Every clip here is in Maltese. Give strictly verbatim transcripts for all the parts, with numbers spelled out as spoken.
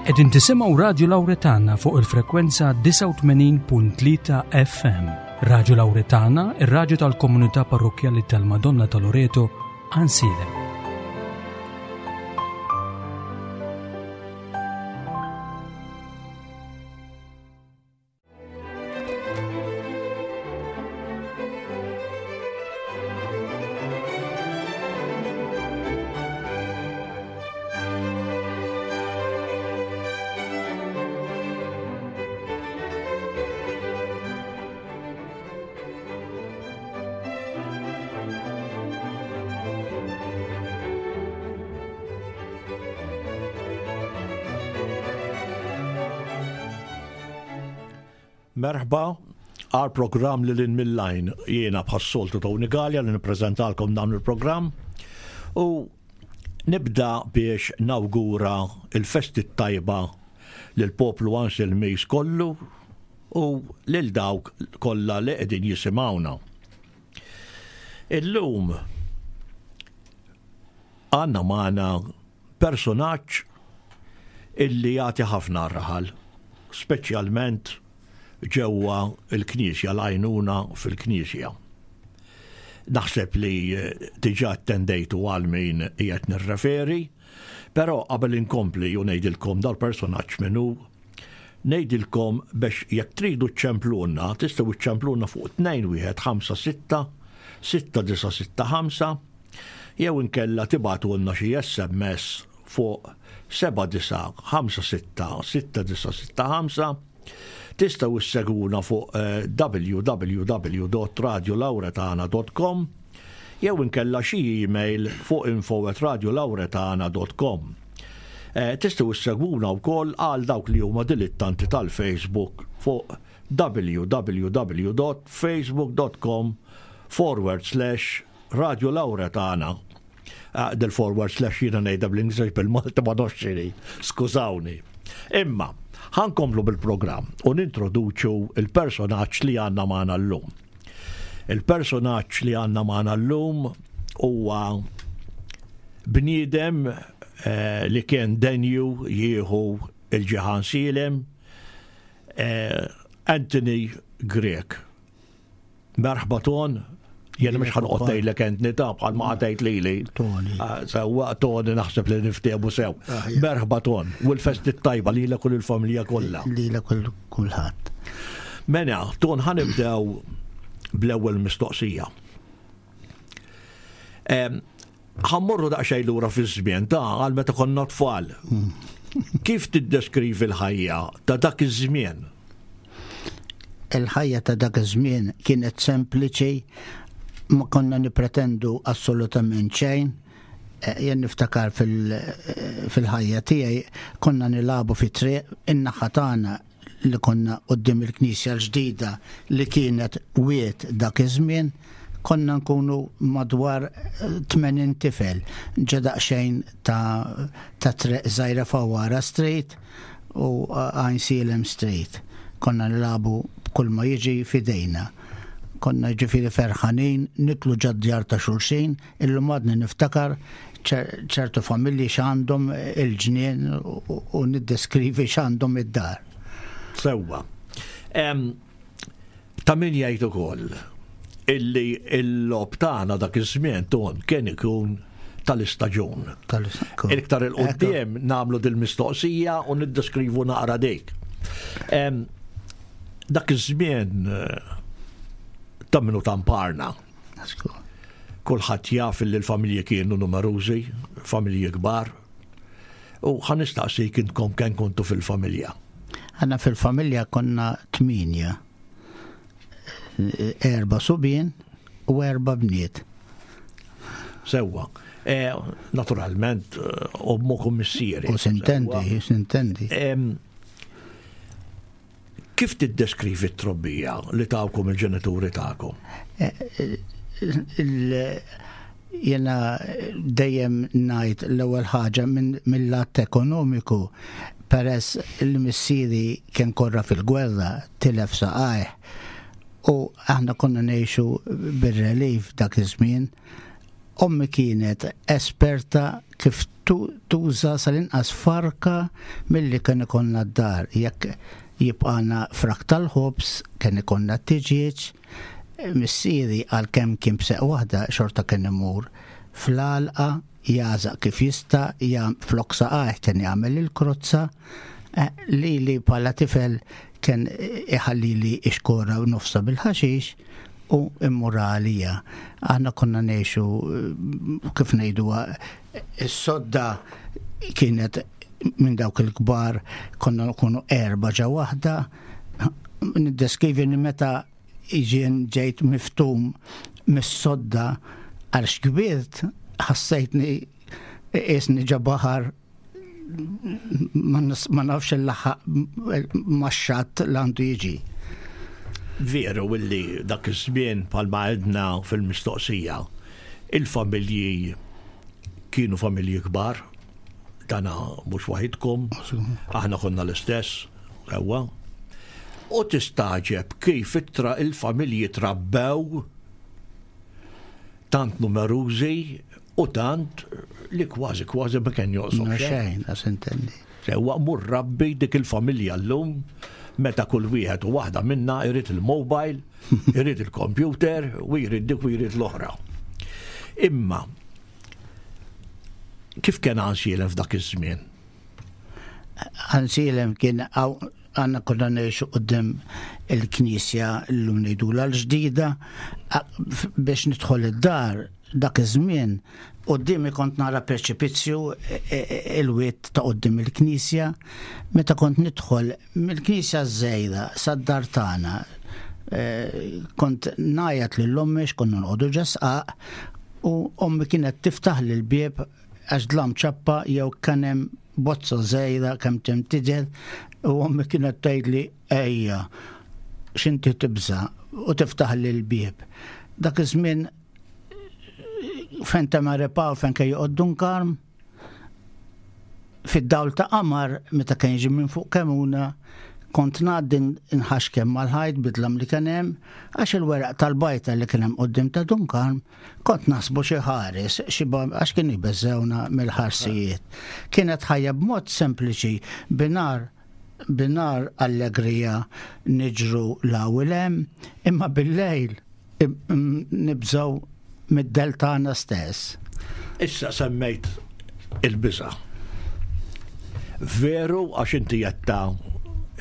Qegħdin tisimgħu Radju Lawretana fuq il-frekwenza disgħa u tmenin punt tlieta F M. Radju Lawretana, ir-radju tal-komunità parrokkjali tal-Madonna ta' Loreto, Għajnsielem. Merħba għal programm li lin mill-lajn. Jiena bħas-soltu Tony Galea li nippreżentalkom dan il-programm u nibda biex nawgura il-festi tajba lil poplu Għajnsielmiż kollu u lil dawk kollha li qegħdin jisimgħuna. Illum għandna magħna personaġġ illi jagħti ħafna raħal, speċjalment ġewwa l-Knisja, l-għajnuna fil-Knisja. Naħseb li diġà attendejtu għal min qiegħed nirreferi, però qabel inkompli u ngħidilkom dal-personaġġ min hu, ngħidilkom biex jekk tridu ċċempluna, tistgħu ċċempluna fuq tnejn wieħed ħamsa sitta, sitta disa' sitta ħamsa, jew inkella tibgħatulna xi S M S fuq seba' disa' ħamsa sitta, sitta disa' sitta ħamsa. Tistgħu issegwuna fuq, eh, w w w dot radio lauretana dot com jew inkella xi email fuq info at radio lauretana dot com. Eh, tistgħu issegwuna wkoll għal dawk li huma dilettanti tal-Facebook fuq w w w dot facebook dot com forward slash radio lauretana. Eh, del forward slash jiena ngħidha bl-Ingliż bil-Malti ma nafx x'inhi, skużawni. Imma ħankomplu bil-programm u nintroduċu il-personaġġ li għandna magħna llum. Il-personaġġ li għandna magħna llum huwa bniedem, eh, li kien denju jieħu il-ġiħan Sielem, eh, Anthony Grech. Merħba Ton, jena mhux ħanqod ngħidlek Anthony ta' bħal ma qatejt lili. Tony. Ah, sewwa Tony naħseb li niftehmu sew. Ah, ja. Merħba Ton, u l-festi tajba lilek u lill-familja kollha. Lilek u kulħadd. Mela, Ton, ħanibdew bl-ewwel mistoqsija. Em, ħammorru daqsxejn lura fiż-żmien ta' għal meta konna tfal. Hmm. Kif tiddeskrivi l-ħajja ta' dak iż-żmien? Il-ħajja ta' dak iż-żmien kienet sempliċi, ma konna nipretendu assolutament xejn. Eh, jien niftakar fil-, eh, fil-ħajja tiegħi konna nilagħbu fi triq in-naħa tagħna li konna quddiem il-knisja l-ġdida li kienet wied dak iż-żmien, konna nkunu madwar, eh, tmenin tifel, ġa daqsxejn ta', ta' triq żgħira Fawara Street u Għajnsielem Street. Konna nilagħbu kull ma jiġi fidejna. Konna ġifieri ferħanin, nitlu ġad-djar ta' xulxin, illum għadni niftakar ċer-, ċertu familji x'għandhom il-ġnien u, u niddeskrivi x'għandhom id-dar. Sewwa. Em, ta' min jgħid ukoll illi l-logħob tagħna dak iż-żmien Ton kien ikun tal-istaġun. Tal-istaġun. Iktar il-qudiem Ekku. nagħmlu dil-mistoqsija u niddeskrivu naqra dik. Em, dak iż-żmien, eh, ta' minnu tamparna. Asku. Kulħadd jaf li l-familji kienu numerużi, familji kbar. U ħa nistaqsik intkom kemm kontu fil-familja. Aħna fil-familja konna tminja. Erba' subien u erba' bniet. Sewwa. Eh, naturalment, eh, ommok u missieri. U sintendi, Sewwa. sintendi. Em, kif tiddeskrivi t-trobbija li tawkom il-ġenituri tagħkom? Eh, eh, il-, jena dejjem ngħid l-ewwel ħaġa minn, mill-lat ekonomiku, peress li missieri kien korra fil-gwerra, tilef saqajh, u aħna konna ngħixu bir-relief dak iż-żmien. Ommi kienet esperta kif tuża sal-inqas farka milli kien ikollna d-dar. Jekk jibqana frak tal-ħobż, kien ikollna t-tiġieġ, missieri għalkemm kien b'seq waħda xorta kien imur fl-għalqa jagħżaq kif jista', flok saqajh kien jagħmel il-krozza, li li bħala tifel kien iħallili ixkora u nofsa bil-ħaxix u immur għalija. Aħna konna ngħixu kif ngħiduha, is-sodda kienet minn dawk il-kbar, konna nkunu erba' ġa waħda. Niddeskrivi li meta jien ġejt miftum mis-sodda għax kbirt, ħassejtni qisni ġa baħar, ma nafx il-laħaq max-xatt l għandu jiġi. Veru illi dak iż-żmien, bħalma għedna fil-mistoqsija, il-familji kienu familji kbar, dana mhux waħidkom, aħna konna l-istess, sewwa. U tistagħġeb kif ittra il-familji trabbew tant numerużi u tant li kważi kważi ma kien jonqos xejn. Xejn, għas intendi. Sewwa, mur rabbi dik il-familja llum meta kull wieħed u waħda minna jrid il-mobile, irid il-computer u jrid dik u jrid l-oħra. Imma kif kien Għajnsielem f'dak iż-żmien? Għajnsielem kien, aħna konna ngħixu quddiem il-knisja, llum ngħidulha l-ġdida, biex nidħol id-dar dak iż-żmien quddiemi kont nara preċipizzju, e, e, e, il-wied ta' quddiem il-knisja. Meta kont nidħol mill-knisja żejda sad-dar tagħna, kont ngħajjat lil ommi, konna noqogħdu ġo sqaq, u ommi kienet tiftaħ l-bieb għax dlam ċappa jew kien hemm bozza żgħira kemm tem tidher, u ommi kienet tgħidli: "Ejja, x'inti tibża'?" u tiftaħ l-bieb. Dak iż-żmien fejn ta' Repaw, fejn kien joqgħod Dun Karm, fid-dawl ta' qamar meta kien jiġi minn fuq Kemuna, kont ngħaddi nħaxkem mal-ħajt bid-dlam li kien hemm, għax il-weraq tal-bajta li kien hemm quddiem ta' Dun Karm kont naħsbu xi ħares, xi għax kien jbeżżewna mill-ħarsijiet. Kienet ħajja b'mod sempliċi, binhar binhar allegrija niġru 'l hemm, imma bil-lejl nibżgħu mid-dell tagħna stess. Issa semmejt il-biża. Veru, għax inti għedtha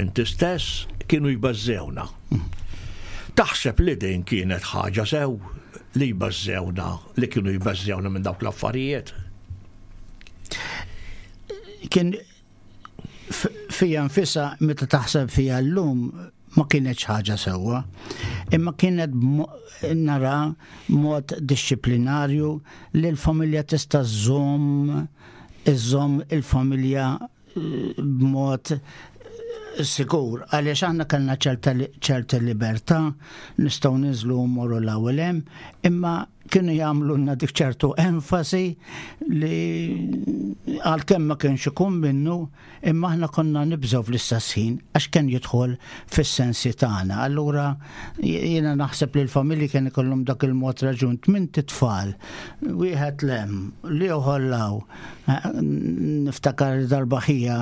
inti stess, kienu jbażżewna. Taħseb li din kienet ħaġa sew li jbażżewna, li kienu jbażżewna minn dawk l-affarijiet? Kien fija nfisha, meta taħseb fija llum, ma kienet ħaġa sewwa, imma kienet nara mod dixxiplinarju li l-familja tista' żżomm iżżomm il-familja eh, b'mod sigur, għaliex aħna kellna ċerta libertà, nistgħu ninżlu mmorru l-ewwel hemm, imma kienu jagħmlu dik ċertu enfasi li għalkemm ma kienx ikun minnu, imma aħna konna nibżgħu fl-istess ħin għax kien jidħol fis-sensi tagħna. Allura jiena naħseb li l-familji kien ikollhom dak il-mod raġun, tmien tfal, wieħed 'l hemm, l-ieħor 'l hawn. Niftakar darba ħija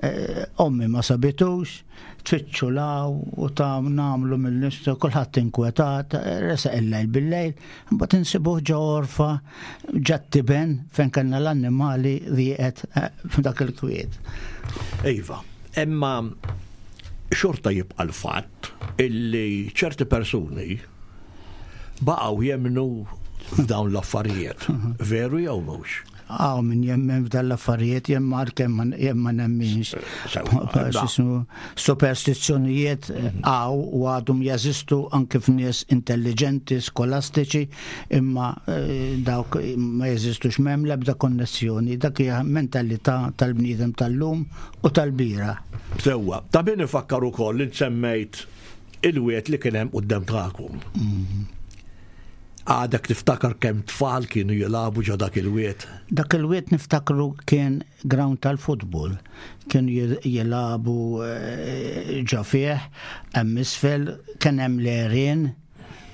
eh, ommi ma sabitux, tfittxu 'l hawn u ta' nagħmlu mill-nistu, kulħadd inkwetat, resaq il-lejl bil-lejl, mbagħad insibuh ġo għorfa ġat-tiben fejn kellna l-annimali rieqed eh, f'dak il-kwiet. Iva, imma xorta jibqa' l-fatt illi ċerti persuni baqgħu jemmnu f'dawn l-affarijiet. Veru jew mhux? Hawn min jemmen f'dan l-affarijiet, jemmen kemm jien ma nemminx. Superstizzjonijiet hawn u għadhom jeżistu anke f'nies intelligenti, skolastiċi, imma eh, dawk ma jeżistux, m'hemm l-ebda konnessjoni. Dak hija mentalità tal-bniedem tal-lum u tal-bieraħ. Sewwa, ta' min ifakkar ukoll li semmejt il-wied li kien hemm quddiem tagħkom. Mhm. Għadek tiftakar kemm tfal kienu jilagħbu ġo dak il-wied? Dak il-wied niftakru kien ground tal-futbol. Kienu jilagħbu eh, ġo fih, hemm isfel, kien hemm l-għerien.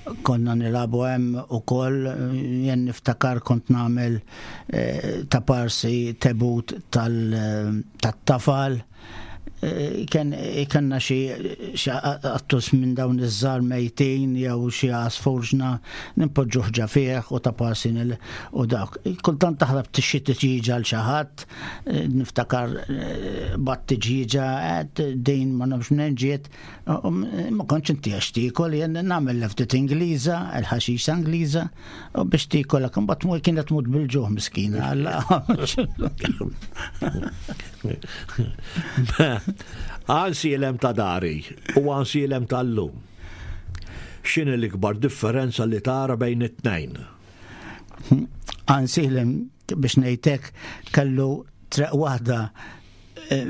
Konna nilagħbu hemm ukoll, jien niftakar kont nagħmel eh, ta' parsi tebut tat-tafal. Eh, kien kellna xi qattus minn dawn iż-żgħar mejtin jew xi għasfur ġna nimpoġġu ħġa fih u ta' parsi u dak. Kultant taħrab xi tiġiġa l xi ħadd, eh, niftakar eh, bat tiġiġa din ma nafx minn ġiet, ma kontx inti għax tiekol, jien nagħmel ftit Ingliża, il-ħaxixa Ingliża, u biex tiekol imbagħad tmur kienet tmut bil-ġuħ miskina. Għansielem ta' dari u għansielem tal-lum. X'inhi l-ikbar differenza li tara bejn it-tnejn? Għansielem, biex ngħidlek, kellu treq waħda eh,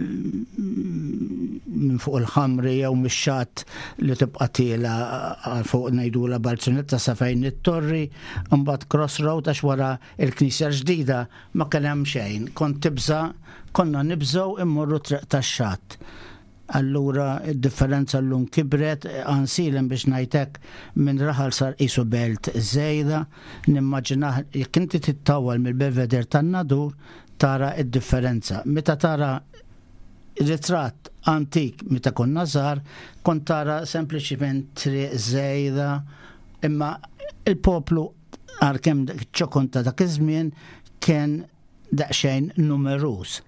minn fuq il-ħamri jew mix-xatt li tibqa' tiela fuq ngħidula Balzunetta sa fejn it-torri, imbagħad crossroad għax wara il-knisja ġdida ma kien hemm xejn. Kont tibża', konna nibżgħu immorru treq tax-xatt. Allura id-differenza llum kibret, Għansielem biex ngħidlek minn raħal sar qisu belt żejda, nimmaġinah jekk inti tittawal mill-Belvedere tan-Nadur tara id-differenza. Meta tara ritratt antik meta konna żgħar, kont tara sempliċiment triq żejda, imma il-poplu għalkemm ċokon ta' dak iż-żmien kien daqsxejn numeruż.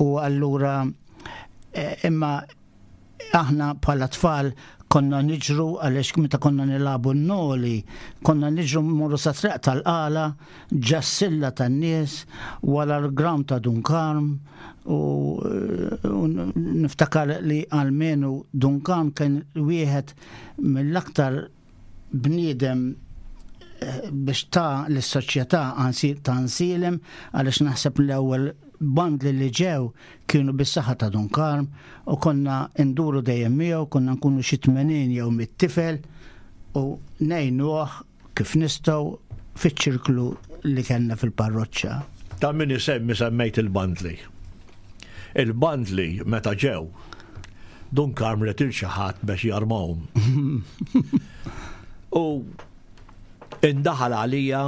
U allura imma aħna bħala tfal konna niġru għaliex meta konna nilagħbu n-noli, konna niġru mmorru sa triq tal-qala, ġassilla tan-nies, wara l-gram ta' Dun Karm, u, u niftakar li almenu Dun Karm kien wieħed mill-aktar bniedem biex ta' l-soċjetà ta' Għansielem, għaliex naħseb l-ewwel bandli li ġew kienu bis-saħħa ta' Dun Karm u konna nduru dejjem miegħu, konna nkunu xi tmenin jew mit-tifel u ngħinuh kif nistgħu fiċ-ċirklu li kellna fil-parroċċa. Ta' min isemmi semmejt il-bandli. Il-bandli meta ġew, Dun Karm retil xi ħadd biex jarmahom. U indaħal għalija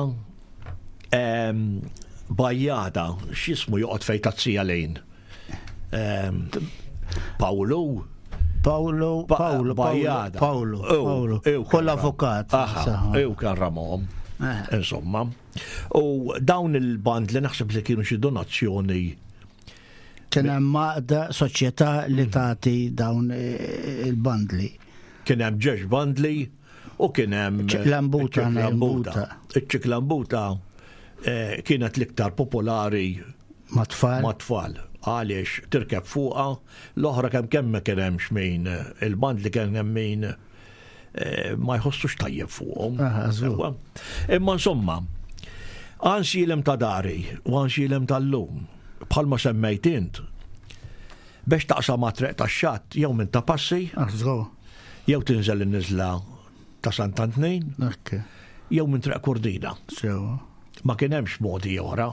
bajjada, x'ismu joqgħod fejn tazzija lejn. Paolo. Paolo, Paolo, Bajjada. Paolo, Paolo. Kull avukat. Ew kien ramhom. Insomma. U dawn il-band li naħseb li kienu xi donazzjoni. Kien hemm għaqda soċjetà li tagħti dawn il-bandli. Kien hemm ġex bandli u kien hemm ċiklambuta. Iċ-ċiklambuta kienet l-iktar popolari mat-tfal. Mat-tfal. Għaliex tirkeb fuqha, l-oħra kemm kemm ma kien hemmx min il-band li kien hemm min ma jħossux tajjeb fuqhom. Imma insomma, Għansielem ta' dari u Għansielem tal-lum, bħalma semmejt int, biex taqsam ma' triq tax-xatt jew minn ta' passi, jew tinżel in-niżla ta' Sant'Antnin, jew minn triq Kurdina. Ma kien hemmx modi oħra.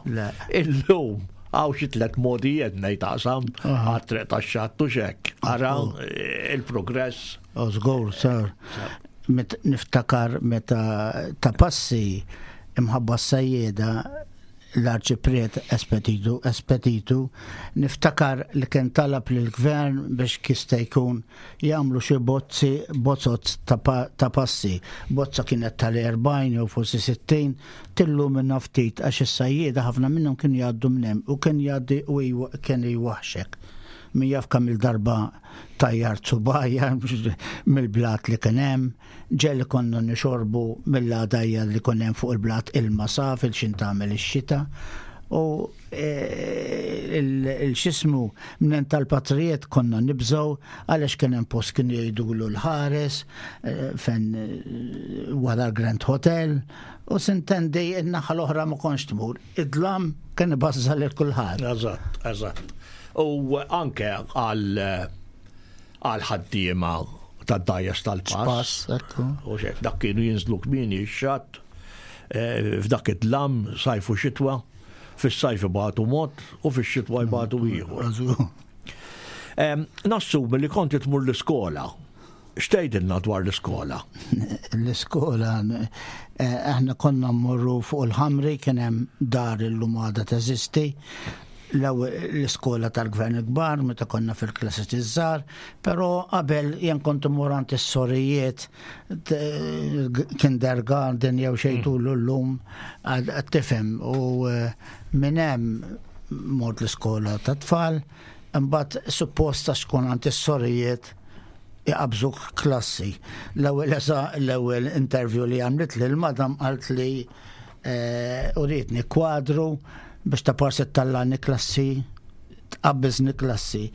Illum hawn xi tliet modijiet ngħid taqsam għat-triq tax-xatt u x'hekk. Ara il-progress. Żgur, sar. Niftakar meta ta' passi imħabba s-sajjeda l-arċipriet Espetitu, Espetitu, niftakar li kien talab lill-gvern biex kista jkun jagħmlu xi bozzi, bozzot ta' passi. Bozza kienet tal-erbgħin jew forsi sittin, tillumina ftit għax is-sajjieda ħafna minnhom kienu jgħaddu minn hemm u kien jgħaddi u kien jwaħxek. Min jaf kemm il-darba tajjar subajja mill-blat li kien hemm, ġelli konna nixorbu mill-għadajja li kien hemm fuq il-blat ilma saf il-xin tagħmel ix-xita. U il-xismu minn tal-patrijiet konna nibżgħu għaliex kien hemm post kien jgħidulu l-ħares fejn wara l-Grand Hotel u sintendi n-naħa l-oħra ma kontx tmur. Id-dlam kien ibażżal lil kulħadd. Eżatt, eżatt. U anke għal ħaddiema tad-dajjes tal-pass. U xek, dak kienu jinżlu kmieni x-xatt, f'dak id-dlam, sajf u xitwa, fis-sajf ibatu mod u fix-xitwa jbatu ieħor. Nassumi li konti tmur l-iskola X'tgħidilna dwar l-iskola? L-iskola, eh, aħna konna mmorru fuq il-Ħamri, kien hemm dar illum għadha teżisti, l-iskola tal-gvern kbar, meta konna fil-klassi iż-żgħar, però qabel jien kont immur għand is-sorijiet kindergarten jew xejn mm. tul llum tifhem u eh, minn hemm mort l-iskola ta' tfal, imbagħad supposta xkun għand is-sorijiet iqabżuk klassi. L-ewwel l-ewwel interview li għamlet li l-madam qalt li eh, urietni kwadru biex ta' parsi tallani klassi, tqabbiżni klassi.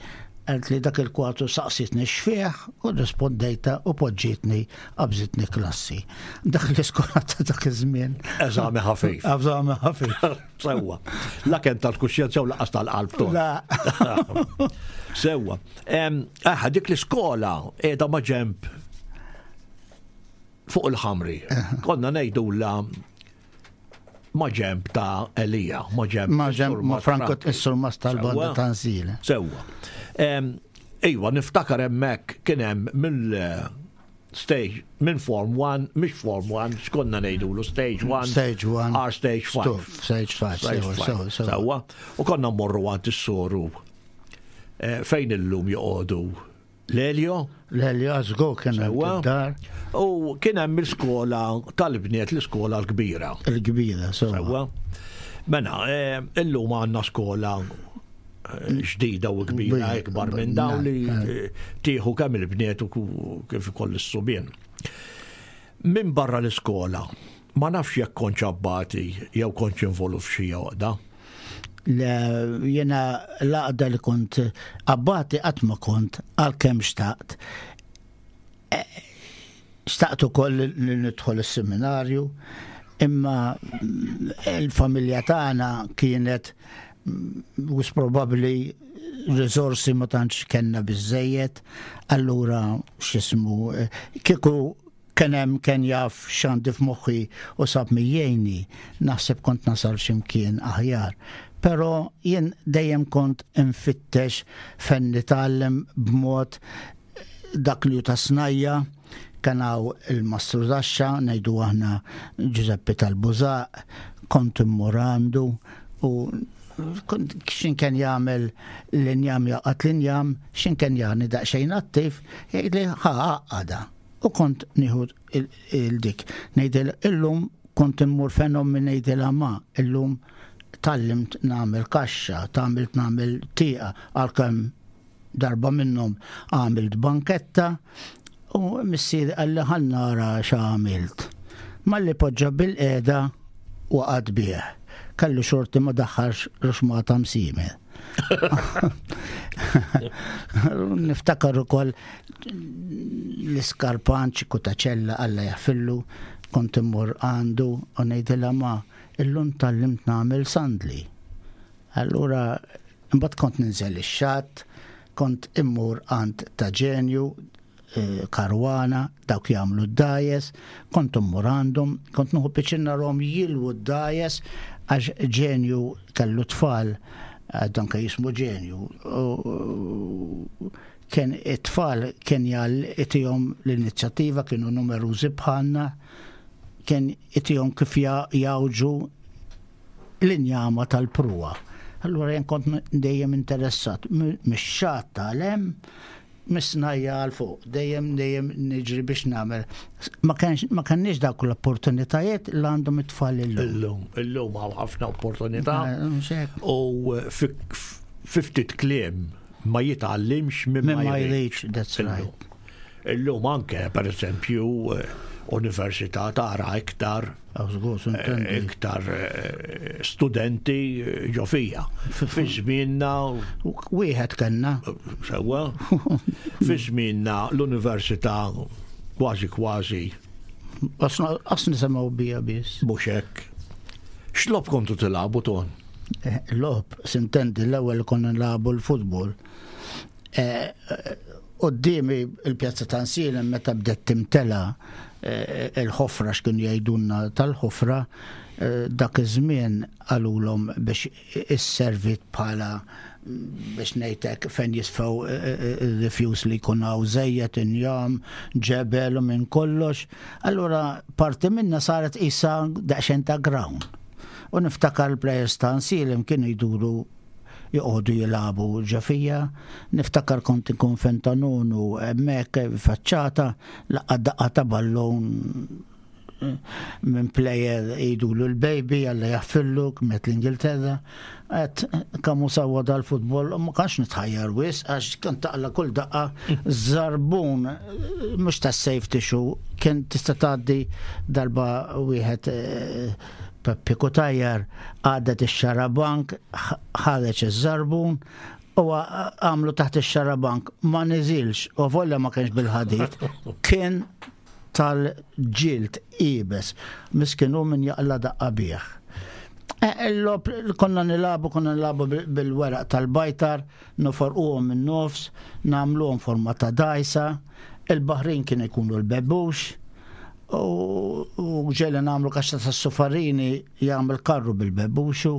Qalt li dak il-kwadru saqsitni x'fih u rispondejta u poġġietni qabżitni klassi. Dak l-iskola ta' dak iż-żmien. Eżami ħafif. Eżami ħafif. Sewwa. La kemm tal-kuxjenza u laqas tal-qalb. La. Sewwa. Aħ, dik l-iskola qiegħda ma' ġemp fuq il-Ħamri. Konna ngħidu la ma' ġemp ta' Elija, ma' ġemp. Ma' ġemp ma' Franco is-surmas tal-banda ta' Nzile. Sewwa. Iva, niftakar hemmhekk kien hemm mill stage minn Form one, mhix Form one, x'konna ngħidulu Stage one, Stage one, R Stage five. Stage five, sewwa, sewwa. U konna mmorru għand is-soru fejn illum joqogħdu Lelio. Lelio għażgu kien hemm dar. U kien hemm l-iskola tal-bniet, l-iskola l-kbira. Il-kbira, sewwa. Mela, illum għandna skola ġdida u kbira ikbar minn dawn li tieħu kemm il-bniet u kif ukoll is-subien. Minn barra l-iskola, ma nafx jekk kontx abbati jew kontx involut f'xi għoqda. Jena l-għaqda li kont abbati qatt ma kont għalkemm xtaqt. Xtaqt ukoll li nidħol is-seminarju, imma il-familja tagħna kienet wis probabbli riżorsi ma tantx kellna biżejjed, allura x'ismu kieku kien hemm kien jaf x'għandi f'moħħi u sab mijjejni, naħseb kont nasal x'imkien aħjar. Però jien dejjem kont infittex fejn nitgħallem b'mod dak li ta' snajja, kien hawn il-Mastru Daxxa, ngħidu aħna Giuseppe tal-Bużaq, kont immur għandu u kont xin kien jagħmel l-injam jaqgħad l-injam, xin kien jagħni daqsxejn attiv, jgħidli ħa għaqada. U kont nieħu il-dik. Ngħidil illum kont immur fejn ommi ngħidilha ma, illum tallimt nagħmel kaxxa, tagħmilt nagħmel tieqa, għalkemm darba minnhom għamilt banketta u missieri qalli ħa nara x'għamilt. Malli poġġa bil-qiegħda waqgħet bih. Kellu xorti ma daħħalx ruxmata msimer. Niftakar ukoll l-iskarpan ċikku ta' ċella Alla jaħfillu, kont immur għandu u ngħidilha ma illum tallimt nagħmel sandli. Allura imbagħad kont ninżel ix-xatt, kont immur għand ta' ġenju, Karwana, dawk jagħmlu d-dajes, kont immur għandhom, kont nieħu piċin narhom jilwu d-dajes għax ġenju kellu tfal, dan kien jismu ġenju. Kien it-tfal kien itihom l-inizjattiva, kienu numerużi bħalna, kien itihom kif jawġu l-injama tal-pruwa. Allura jien kont dejjem interessat mix-xatt tal-hemm, misnajja għal fuq, dejjem dejjem niġri biex nagħmel. Ma kenniex dawk l-opportunitajiet li għandhom it-tfal illum. Illum, illum hawn ħafna opportunità. U fi ftit kliem ma jitgħallimx minn ma jridx, that's right. Illum anke, per eżempju, università tara iktar iktar studenti ġo fija. Fi żmienna wieħed kellna. Sewwa. Fi żmienna l-università kważi kważi. Qas nisimgħu bija biss. Mhux hekk. X'logħob kontu tilagħbu ton? Logħob, sintendi l-ewwel konna nilagħbu l-futbol. Quddiemi il-pjazza ta' Għajnsielem meta bdet timtela eh, il-ħofra, x'kienu jgħidulna tal-ħofra, eh, dak iż-żmien qalulhom biex isservi bħala, biex ngħidlek, fejn jisfaw il-refuse li jkun hawn żejjed, injam, ġebel u minn kollox. Allura parti minna saret isa daqsxejn ta' ground. U niftakar il-players ta' Għajnsielem kienu jduru joqogħdu jilagħbu ġo fiha. Niftakar kont ikun fentanunu hemmhekk faċċata, laqgħa daqqa ta' ballon minn player jgħidulu l-baby, Alla jaħfirlu, miet l-Ingilterra. Għedt, kemm hu sewwa dal-futbol, ma kanx nitħajjar wisq, għax kien taqla' kull daqqa zarbun, mhux ta' safety shoe, kien tista' tgħaddi. Darba wieħed, eh, Peppi Cutajar, għadet ix-xarabank, ħareġ iż-żarbun u għamlu taħt ix-xarabank, ma niżilx, u volja ma kienx bil-ħadid, kien tal-ġild iebes, miskinu min jaqla' daqqa bih. Eh, il-logħob konna nilagħbu, konna nilagħbu bil-weraq tal-bajtar, noforquhom minn nofs, nagħmluhom forma ta' dajsa, il-baħrin kien ikunu l-bebux, u ġieli nagħmlu kaxxa ta' sufarini jagħmel karru bil-bebuxu,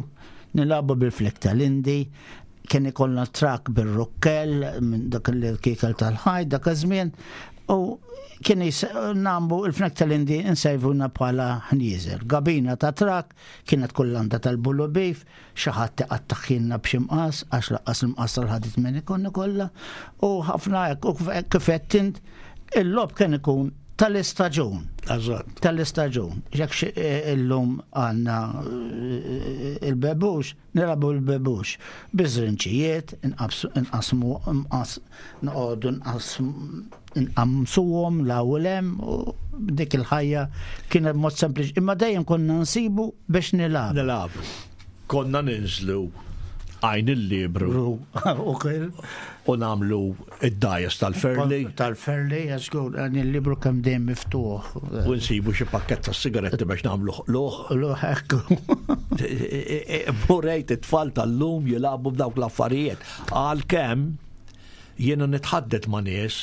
nilagħbu bil-flek tal-Indi, kien ikollna trak bil-rukkel, minn dak il-kikel tal-ħajt, dak iż-żmien, u kien nagħmlu il-fnek tal-Indi nsejvuna bħala ħnieżer. Gabina ta' trak kienet kullanda tal-bullu beef, xi ħadd iqattagħhielna b'xi mqas, għax lanqas il-mqas tal-ħadid minn ikun kollha, u ħafna hekk, u kif qed int, il-logħob kien ikun tal-istaġun. Eżatt. Tal-istaġun. Jekk eh, illum għandna eh, il-bebux, nilagħbu l-bebux. Biż-żrinġijiet, nqasmu, noqogħdu nqamsuhom l-awlem u dik il-ħajja kienet mod sempliċi. Imma dejjem konna nsibu biex nilagħbu. Nilagħbu. Konna ninżlu Għajn il-Liebru. U nagħmlu id-dajes tal-Ferli. Tal-Ferli, għaxgur, Għajn il-Liebru kemm dejjem miftuħ. U nsibu xi pakket ta' sigaretti biex nagħmlu luħ. Luħ, ekku. Burejt it-tfal tal-lum jilagħbu b'dawk l-affarijiet. Għalkemm jiena nitħaddet ma' nies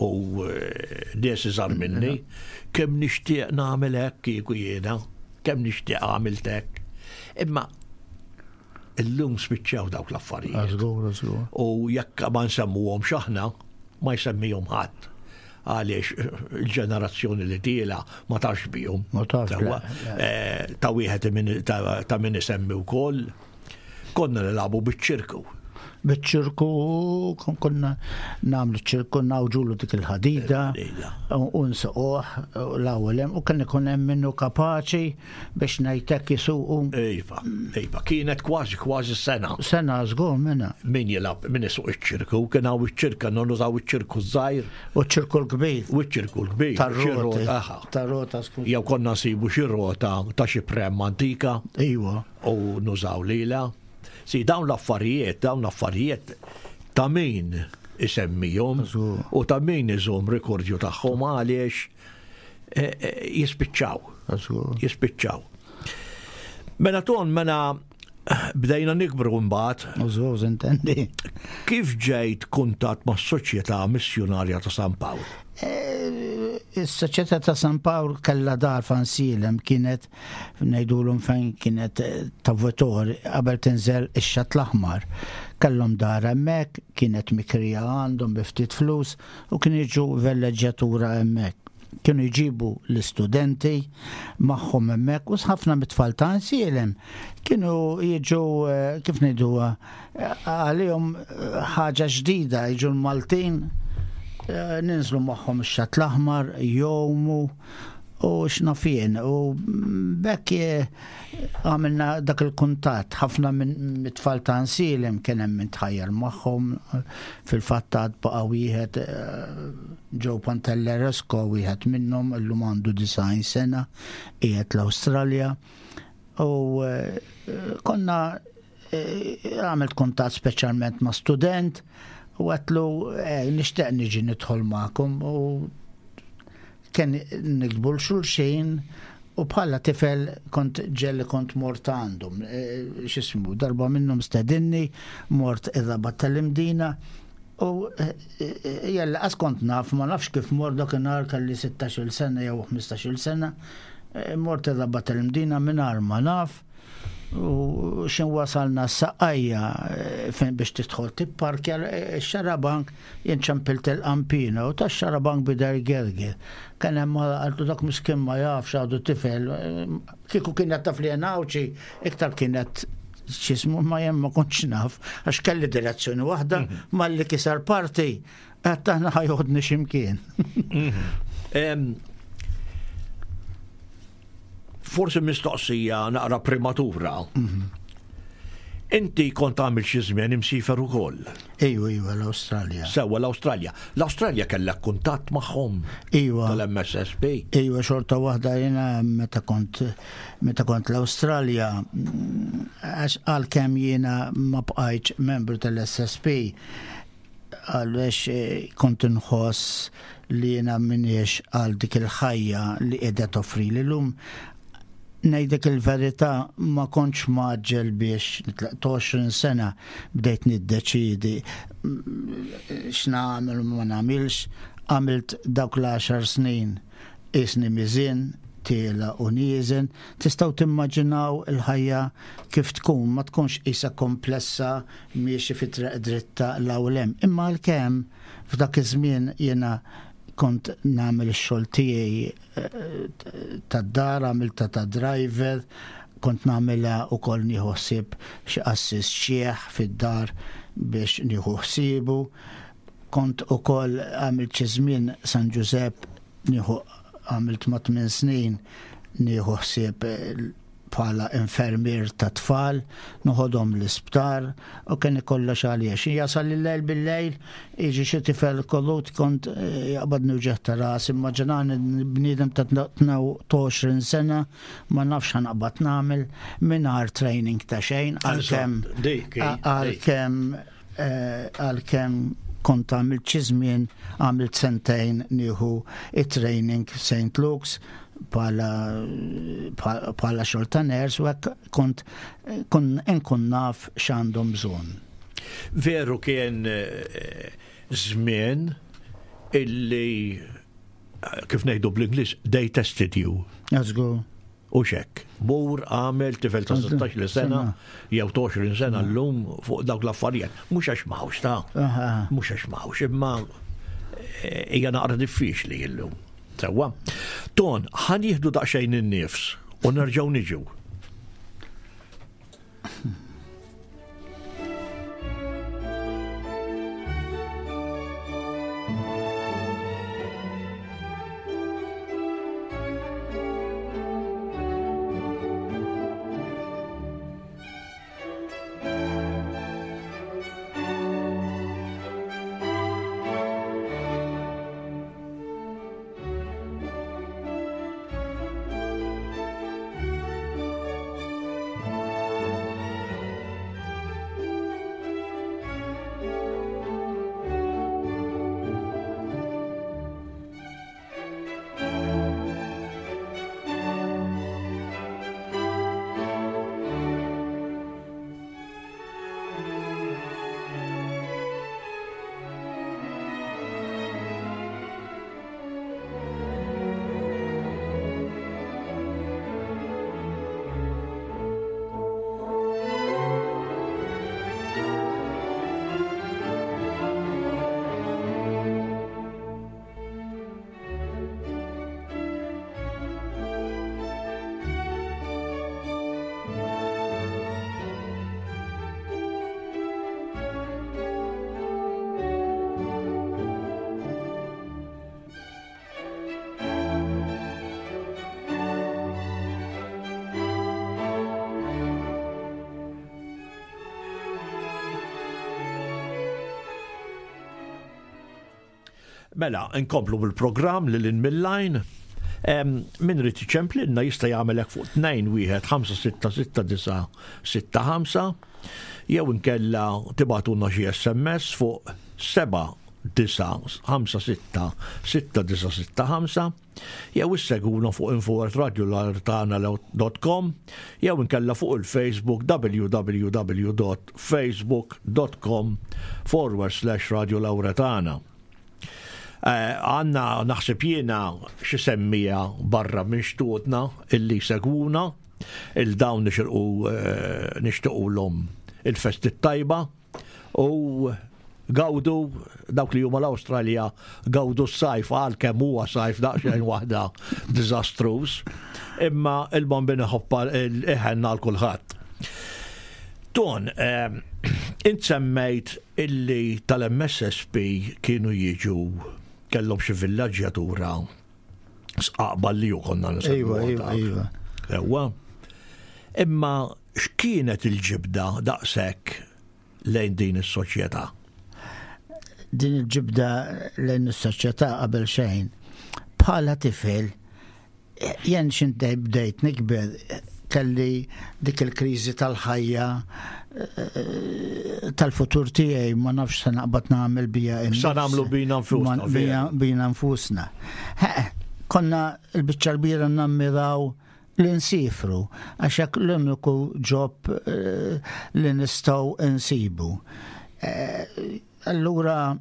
u eh, nies iżgħar minni, kemm nixtieq nagħmel hekk kieku jiena, kemm nixtieq għamilt hekk. Imma illum spiċċaw dawk l-affarijiet. Żgur, żgur. U jekk ma nsemmuhom aħna, ma jsemmihom ħadd. Għaliex il-ġenerazzjoni li tiela' ma tafx bihom. Ma tafx, Sewwa, le, le. eh, Ta' wieħed min- ta' ta' min isemmi wkoll. Konna nilagħbu biċ-ċirku. Biċ-ċirku, kon- konna nagħmlu ċirku, nagħwġulu dik il-ħadida Il-ħadida. u nsuquh l-ewwel hemm, u kien ikun hemm minnu kapaċi biex ngħidlek jisuqu. Iva, iva, kienet kważi kważi sena. Sena żgur minna. Min jilgħab, min isuq iċ-ċirku, kien hawn iċ-ċirka, non nużaw iċ-ċirku żgħir U ċirku l-kbir. U ċ-ċirku l-kbir. Xi Tar-roti. rota, aha. Tar-rota, skur. Jew konna nsibu xi rota ta' xi prem antika Iwa. U nużaw lila. Si dawn l-affarijiet, dawn l-affarijiet ta' min isemmihom Żgur. u ta' min iżomm rekordju tagħhom għaliex eh, eh, jispiċċaw. Żgur. Jispiċċaw. Mela ton, mela bdejna nikbru mbagħad, Żgur, intendi. Kif ġejt kuntat ma' Soċjetà Missjonarja ta' San Pawl? Eh, Is-Soċjetà ta' San Pawl kellha dar f'Għajnsielem, kienet ngħidulhom fejn kienet eh, ta' Votor qabel tinżel ix-Xatt l-Aħmar. Kellhom dar hemmhekk, kienet mikrija għandhom bi ftit flus u kien jiġu velleġġjatura hemmhekk. Kienu jġibu l-istudenti magħhom hemmhekk u ħafna mit-tfal ta' Għajnsielem kienu jiġu, eh, kif ngħiduha, eh, għalihom eh, ħaġa ġdida jiġu l-Maltin, eh, ninżlu magħhom ix-Xatt l-Aħmar, jgħumu u x'naf jien, u bekk eh, għamilna dak il-kuntatt. Ħafna minn mit-tfal ta' Għajnsielem kien hemm min tħajjar magħhom. Fil-fatt għad baqa' wieħed, eh, Joe Pantelleresco, wieħed minnhom, illum għandu disgħin sena, qiegħed l-Awstralja, u eh, konna eh, għamilt kuntatt speċjalment ma' student u għedtlu eh, nixtieq niġi nidħol magħkom, u kien niktbu 'l xulxin, u bħala tifel kont ġieli kont mort għandhom. E, x'jismu, darba minnhom stedinni, mort ir-Rabat tal-Imdina, U jella qas kont naf, ma nafx kif mort dakinhar kelli sittax-il sena jew ħmistax-il sena, mort ir-Rabat il-Mdina mingħajr ma naf, u xin wasalna s-Saqqajja fejn biex tidħol tipparkja x-xarabank, jien ċempilt il-qampina u tax-xarabank bida jgerger. Kien hemm qaltu dak miskin ma jafx għadu tifel, kieku kienet taf li jien Għawdxi, iktar kienet x'ismu, ma jien ma kontx naf, għax kelli direzzjoni waħda, malli kisar parti, għedt aħna ħajoħodni x'imkien. Forsi mistoqsija naqra prematura. Inti kont għamil xi żmien imsifer ukoll. Ejwa, ejwa, l-Awstralja. Sewwa l-Awstralja. L-Awstralja kellek kuntatt magħhom. Ejwa. Tal-M S S P. Ejwa, xorta waħda jiena meta kont, meta kont l-Awstralja, għax għalkemm jiena ma bqajtx membru tal-S S P, għaliex kont inħoss li jiena m'iniex għal dik il-ħajja li qiegħda toffri li llum. Ngħidlek il-verità, ma kontx maġġel biex nitlaq għoxrin sena bdejt niddeċidi x'nagħmel u ma nagħmilx. Għamilt dawk l-għaxar snin isni miżien, tiela u nieżen. Tistgħu timmaġinaw il-ħajja kif tkun, ma tkunx qisha komplessa miexi fi triq dritta l-hawn hemm. Imma għalkemm f'dak iż-żmien jiena kont nagħmel ix-xogħol tiegħi, eh, tad-dar, għamilta ta' driver, kont nagħmilha wkoll nieħu ħsieb xi qassis xieħ fid-dar biex nieħu ħsiebu. Kont ukoll għamilt xi żmien San Ġużepp, nieħu għamilt ma' tmien snin nieħu ħsieb bħala infermier ta' tfal, noħodhom l-isptar u kien ikollox għalija. Xi jasal il-lejl bil-lejl, jiġi xi tifel kollut kont, eh, jaqbadni wġeħ ta' ras, immaġinani bniedem ta' tnaw għoxrin sena, ma nafx ħanaqbad nagħmel mingħajr training ta' xejn, għalkemm Eżatt, dik hi, dik. għalkemm, eh, għalkemm kont għamilt xi żmien, għamilt sentejn nieħu it-training Saint Luke's bħala, bħala xogħol ta' nurse, u hekk kont kun inkun naf x'għandhom bżonn. Veru kien, eh, żmien illi, kif ngħidu bl-Ingliż, they tested you. Żgur. U xek. Mur għamel tifel ta' sittax-il sena, jew għoxrin sena llum fuq dawk l-affarijiet. Mhux għax m'hawnx ta' Aha. mhux għax m'hawnx, imma, eh, hija naqra diffiċli llum. Sewwa. Ton, ħan jieħdu daqsxejn in-nifs u nerġgħu niġu. Mela, nkomplu bil-programm lil hinn mill-line. Em, min irid iċemplinna jista' jagħmel hekk fuq tnejn wieħed ħamsa sitta sitta disa' sitta ħamsa, jew inkella tibgħatulna xi S M S fuq seba' disa' ħamsa sitta sitta disa' sitta ħamsa jew issegwuna fuq info at radio lauretana dot com jew inkella fuq il-Facebook w w w dot facebook dot com forward slash Radio Lauretana. Għanna naħseb jiena xi semmija barra minn xtutna illi segwuna, il-dawn nixirqu nixtiequlhom il-festi tajba u gawdu dawk li huma l-Awstralja, gawdu s-sajf għal kemm huwa sajf daqsxejn waħda diżastruż, imma il-Bambin iħobba l-iħenna għal kulħadd. Ton, int semmejt illi tal-M S S P kienu jiġu kellhom xi villaġġjatura sqaqba li ju konna nsemmu Ejwa, ejwa, dak. ejwa. Ewwa. Imma x'kienet il-ġibda daqshekk lejn din is-soċjetà? Din il-ġibda lejn is-soċjetà qabel xejn. Bħala tifel, jien x'int bdejt nikber, kelli dik il-kriżi tal-ħajja, tal-futur tiegħi, ma nafx se naqbad nagħmel bija innifsi. Sa nagħmlu bina nfusna, Ma bija, vera. bina nfusna. Ha, konna l-biċċa l-kbira nammiraw li nsifru, għax hekk l-uniku ġob, eh, li nistgħu nsibu. Eh, allura,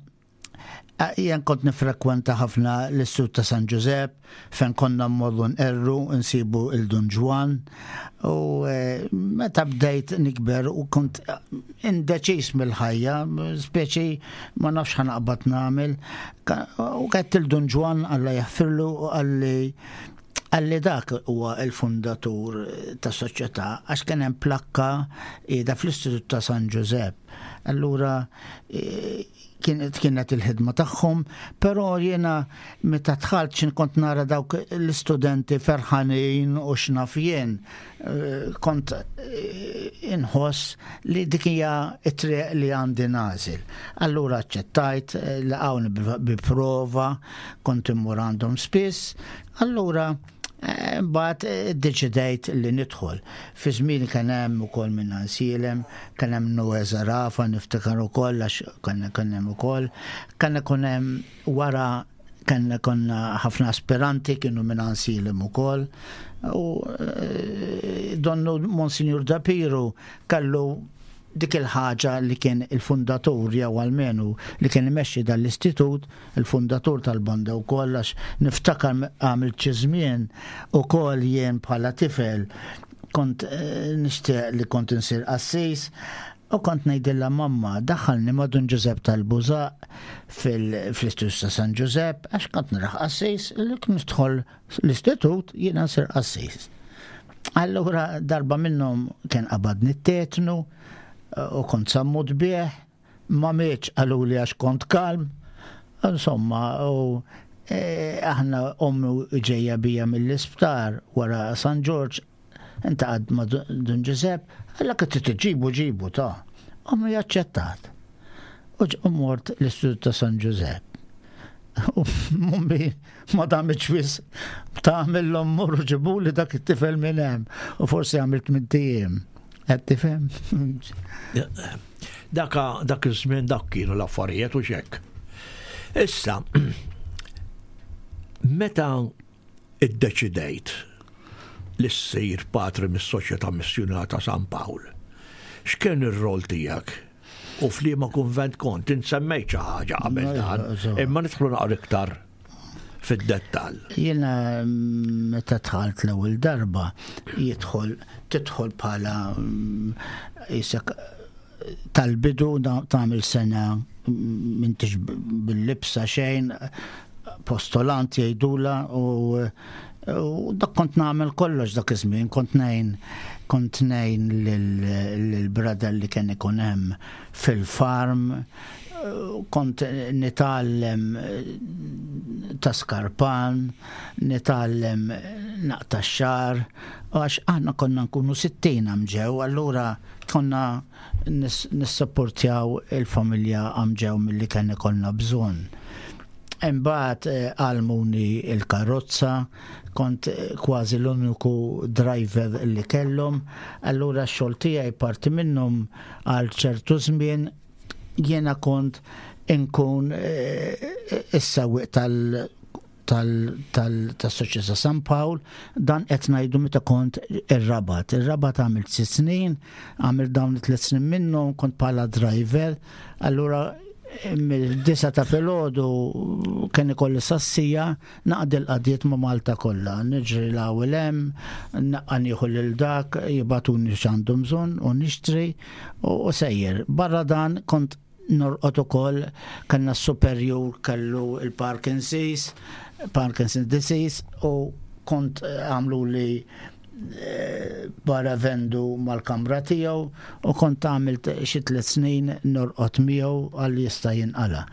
eh, jien kont nifrekwenta ħafna l-Istitut ta' San Ġużepp, fejn konna mmorru nqerru, nsibu il-Dun Ġwann, u, eh, meta bdejt nikber u kont indeċis mill-ħajja, speċi ma nafx ħanaqbad nagħmel, ka-, u kett il-Dun Ġwann Alla jaħfirlu u qalli qalli dak huwa il-fundatur ta' soċjetà, għax kien hemm plakka qiegħda fl-Istitut ta' San Ġużepp. Allura, eh, kienet, kienet il-ħidma tagħhom, però jiena meta dħalt x'in kont nara dawk l-istudenti ferħanin u x'naf jien, eh, kont, eh, inħoss li dik hija t-triq li għandi nagħżel. Allura aċċettajt, eh, laqgħuni bi, bi prova, kont immur għandhom spiss, allura eh, mbagħad, eh, iddeċidejt li nidħol. Fi żmien kien hemm ukoll minn Ansielem, kien hemm Noe Zarafa, niftakar ukoll għax kien, kien hemm ukoll, kien ikun hemm wara kien konna ħafna aspiranti kienu minn Ansielem ukoll. U, eh, donnu Monsignor Dapiru kellu dik il-ħaġa li kien il-fundatur jew almenu li kien imexxi dal-istitut, il-fundatur tal-banda wkoll, għax niftakar għamilt xi żmien ukoll jien bħala tifel kont, eh, nixtieq li kont insir qassis u kont ngħidilha mamma daħħalni ma' Dun Ġużepp tal-Bużaq fil-, fl-Istitut ta' San Ġużepp għax kont naraħ qassis li kien nidħol l-istitut jiena nsir qassis. Allura darba minnhom kien qabadni t-tetnu u kont sammut bih, ma mietx qaluli għax kont kalm, insomma, u, e, aħna ommu ġejja bija mill-isptar wara San Ġorġ, intaqad ma' Dun, Dun Ġużepp, għalla kif trid ġibu ġibu ta' ommu jaċċettat. U ġ-, u mort l-Istitut ta' San Ġużepp. U mummi ma damitx wis tagħmilhom morru ġibuli dak it-tifel minn hemm u forsi għamilt minn tiem. Qed tifhem? Daka, dak iż-żmien dak kienu l-affarijiet u xekk. Issa, meta iddeċidejt li ssir patri mis-Soċjetà Missjunarja ta' San Pawl, x'kien ir-rol tiegħek? U f'liema kunvent kont? Int semmejt xi ħaġa qabel Ejwa, dan, eżatt. imma nidħlu naqra iktar fid-dettall. Jiena meta dħalt l-ewwel darba jidħol, tidħol bħala, mm, isek tal-bidu na-, tagħmel sena, mm, m'intix b-, bil-libsa xejn, postolant jgħidula u, u dak kont nagħmel kollox dak iż-żmien, kont ngħin, kont ngħin lil-brother li kien ikun hemm fil-farm, kont nitgħallem ta' skarpan, nitgħallem naqta' x-xagħar, għax aħna konna nkunu sittin għamġew, allura konna nis-, nissapportjaw il-familja għamġew milli kien ikollna bżonn. Imbagħad, eh, għallmuni il-karozza, kont, eh, kważi l-uniku driver li kellhom, allura x-xogħol tiegħi parti minnhom għal ċertu żmien jiena kont inkun is-sewwieq tal tal-Soċjetà San Pawl, dan qed ngħidu meta kont ir-Rabat. Ir-Rabat għamilt sitt snin, għamilt dawn it-tliet snin minnhom kont bħala driver, allura mill-disa ta' filgħodu kien ikolli sassija naqdi l-qadiet ma' Malta kollha. Niġri l-ewwel hemm, naqqa nieħu lil dak, jibagħtuni x'għandhom bżonn u nixtri u sejjer. Barra dan kont norqod ukoll, kellna s-superjur kellu il-Parkinson's, Parkinson's disease, u kont għamlu li barra vendu mal-kamra tiegħu u kont għamilt xi tliet snin norqod miegħu għal jista' jinqala.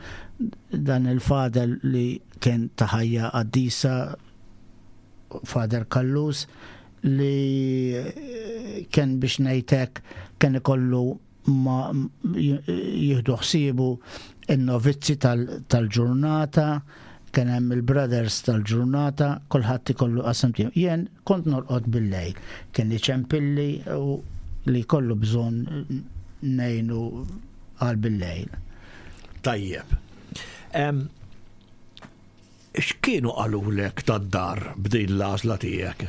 Dan il-fader li kien ta' ħajja qaddisa, Fader Kallus, li kien biex ngħidlek kien ikollu ma jieħdu ħsiebu in-novizzi tal-ġurnata, kien hemm il-brothers tal-ġurnata, kulħadd ikollu qasam tiegħu. Jien kont norqod bil-lejl, kien iċempilli u li kollu bżonn ngħinu għal bil-lejl. Tajjeb. X'kienu qalulek tad-dar b'din l-għażla tiegħek?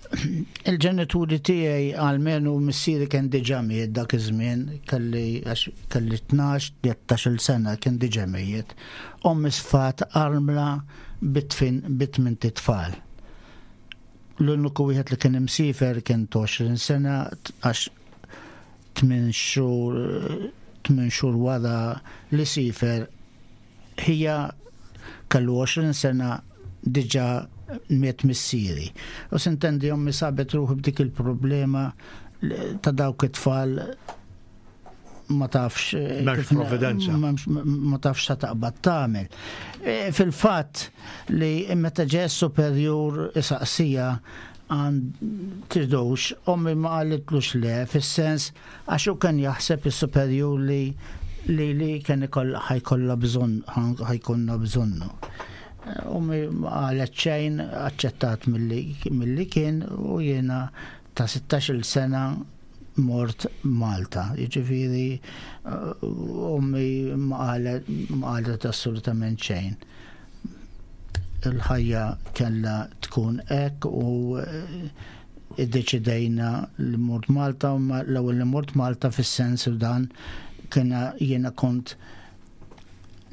Il-ġenituri tiegħi għalmenu missieri kien diġà miet dak iż-żmien, kelli għax kelli tnax, tlettax-il sena kien diġà miet. Ommi sfat armla bitfin bitmin titfal. L-uniku wieħed li kien imsifer kien għoxrin sena għax tmien xhur, tmien xhur wara li sifer hija kellu għoxrin sena diġà miet missieri. U sintendi ommi sabet ruħi b'dik il-problema ta' dawk it-tfal ma tafx M'hemmx kif na- providenza. m'hemmx, ma tafx sa taqbad tagħmel. E, fil-fatt li meta ġie superjur isaqsija għand tridux, ommi ma qalitlux le, fis-sens għax hu kien jaħseb is-superjur li li li kien ikoll ħajkollha bżonn, ħajkollna bżonnu. Ommi ma qalet xejn, aċċettat milli, milli kien u jiena ta' sittax-il sena mort Malta. Jiġifieri, ommi ma qalet, ma qalet assolutament xejn. Il-ħajja kellha tkun hekk u iddeċidejna li mort Malta, u ma l-ewwel li mort Malta fis-sens u dan kiena jiena kont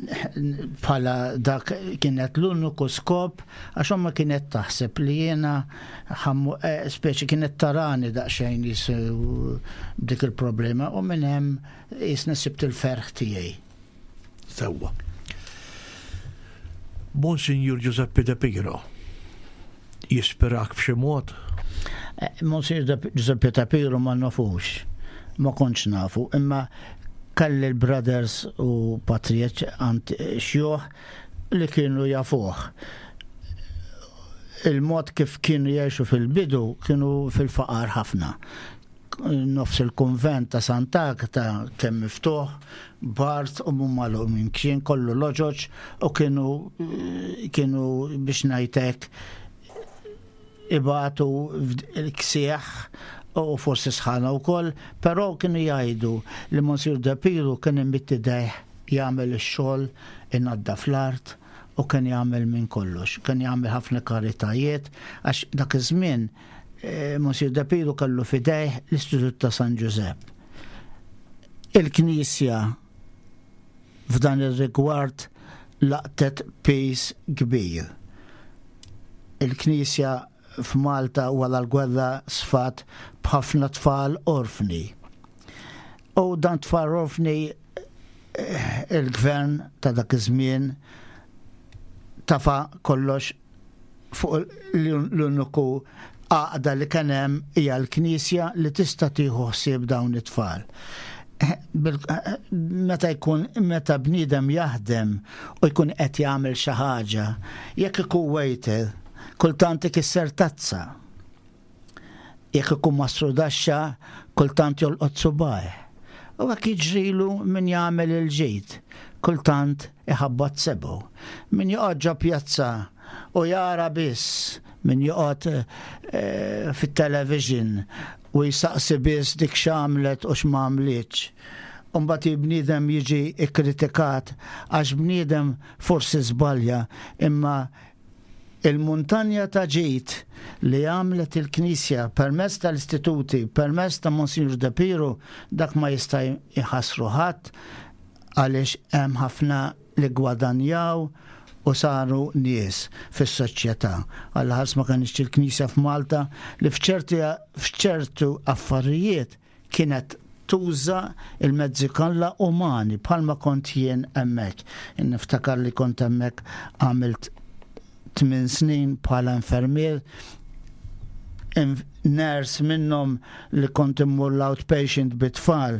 bħala dak kienet l-uniku skop, għax omma kienet taħseb li jiena ħammu, eh, speċi kienet tarani daqsxejn jisu dik il-problema u minn hemm jisna sibt il-ferħ tiegħi. Sewwa. Monsignor Giuseppe De Piro jispirak b'xi mod? Eh, Monsignor De-, Giuseppe De Piro ma nafux, ma kontx nafu, imma kelli l-brothers u patrijiet għand xjuħ li kienu jafuh. Il-mod kif kienu jgħixu fil-bidu kienu fil-faqar ħafna. Nofs il-konvent ta' Sant'Agata kemm miftuħ, bart u mhum magħluq minn kien kollu loġoġ u kienu, kienu biex ngħidlek ibatu l-ksieħ u forsi sħana wkoll, però kienu jgħidu li Monsignor De Piro kien imidd idejh jagħmel ix-xogħol inaddaf l-art u kien jagħmel minn kollox, kien jagħmel ħafna karitajiet għax dak iż-żmien, eh, Monsignor De Piro kellu fidejh l-Istitut ta' San Ġużepp. Il-Knisja f'dan ir-rigward laqtet pis kbir. Il-Knisja f'Malta wara l-gwerra sfat b'ħafna tfal orfni. U dan tfal orfni, eh, il-gvern ta' dak iż-żmien tafa kollox fuq l-uniku għaqda li kien hemm hija l-Knisja li tista' tieħu ħsieb dawn it-tfal. Bil-, meta jkun, meta bniedem jaħdem u jkun qed jagħmel xi ħaġa, jekk ikun waiter, kultant ikisser tazza. Jekk ikun mastrudaxxa, kultant jolqot subajh. U hekk jiġrilu min jagħmel il-ġid, kultant iħabbat sebu. Min joqgħod ġo pjazza u jara biss, min joqgħod eh, fit-television u jisaqsi biss dik x'għamlet u x'm'għamlitx. Umbagħad bniedem jiġi ikkritikat għax bniedem forsi żbalja, imma il-muntanja ta' ġid li għamlet il-Knisja permezz tal-istituti, permezz ta' Monsignor De Piro, dak ma jista' jħassru ħadd, għaliex hemm ħafna li gwadanjaw u saru nies fis-soċjetà. Alla ħares ma kienx il-Knisja f'Malta li f'ċerti f'ċertu affarijiet kienet tuża il-mezzi kollha umani bħalma kont jien hemmhekk. Niftakar li kont hemmhekk għamilt tmien snin bħala infermier, nurse minnhom li kont immur l-outpatient bit-tfal,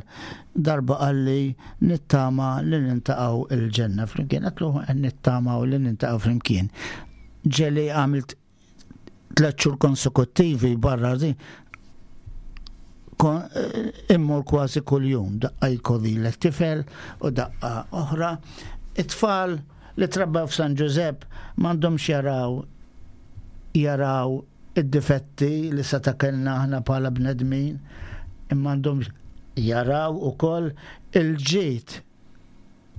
darba qalli nittama li niltaqgħu il-ġenna flimkien. Għedtlu nittama u li niltaqgħu flimkien. Ġieli għamilt tliet xhur konsekuttivi barra di, immur kważi kull-jum, daqqa jkolli l-tifel u daqqa oħra. It-tfal li trabbaw f'San Ġużepp m'għandhomx jaraw jaraw id-difetti li seta' kellna aħna bħala bnedmin, imma għandhom jaraw ukoll il-ġid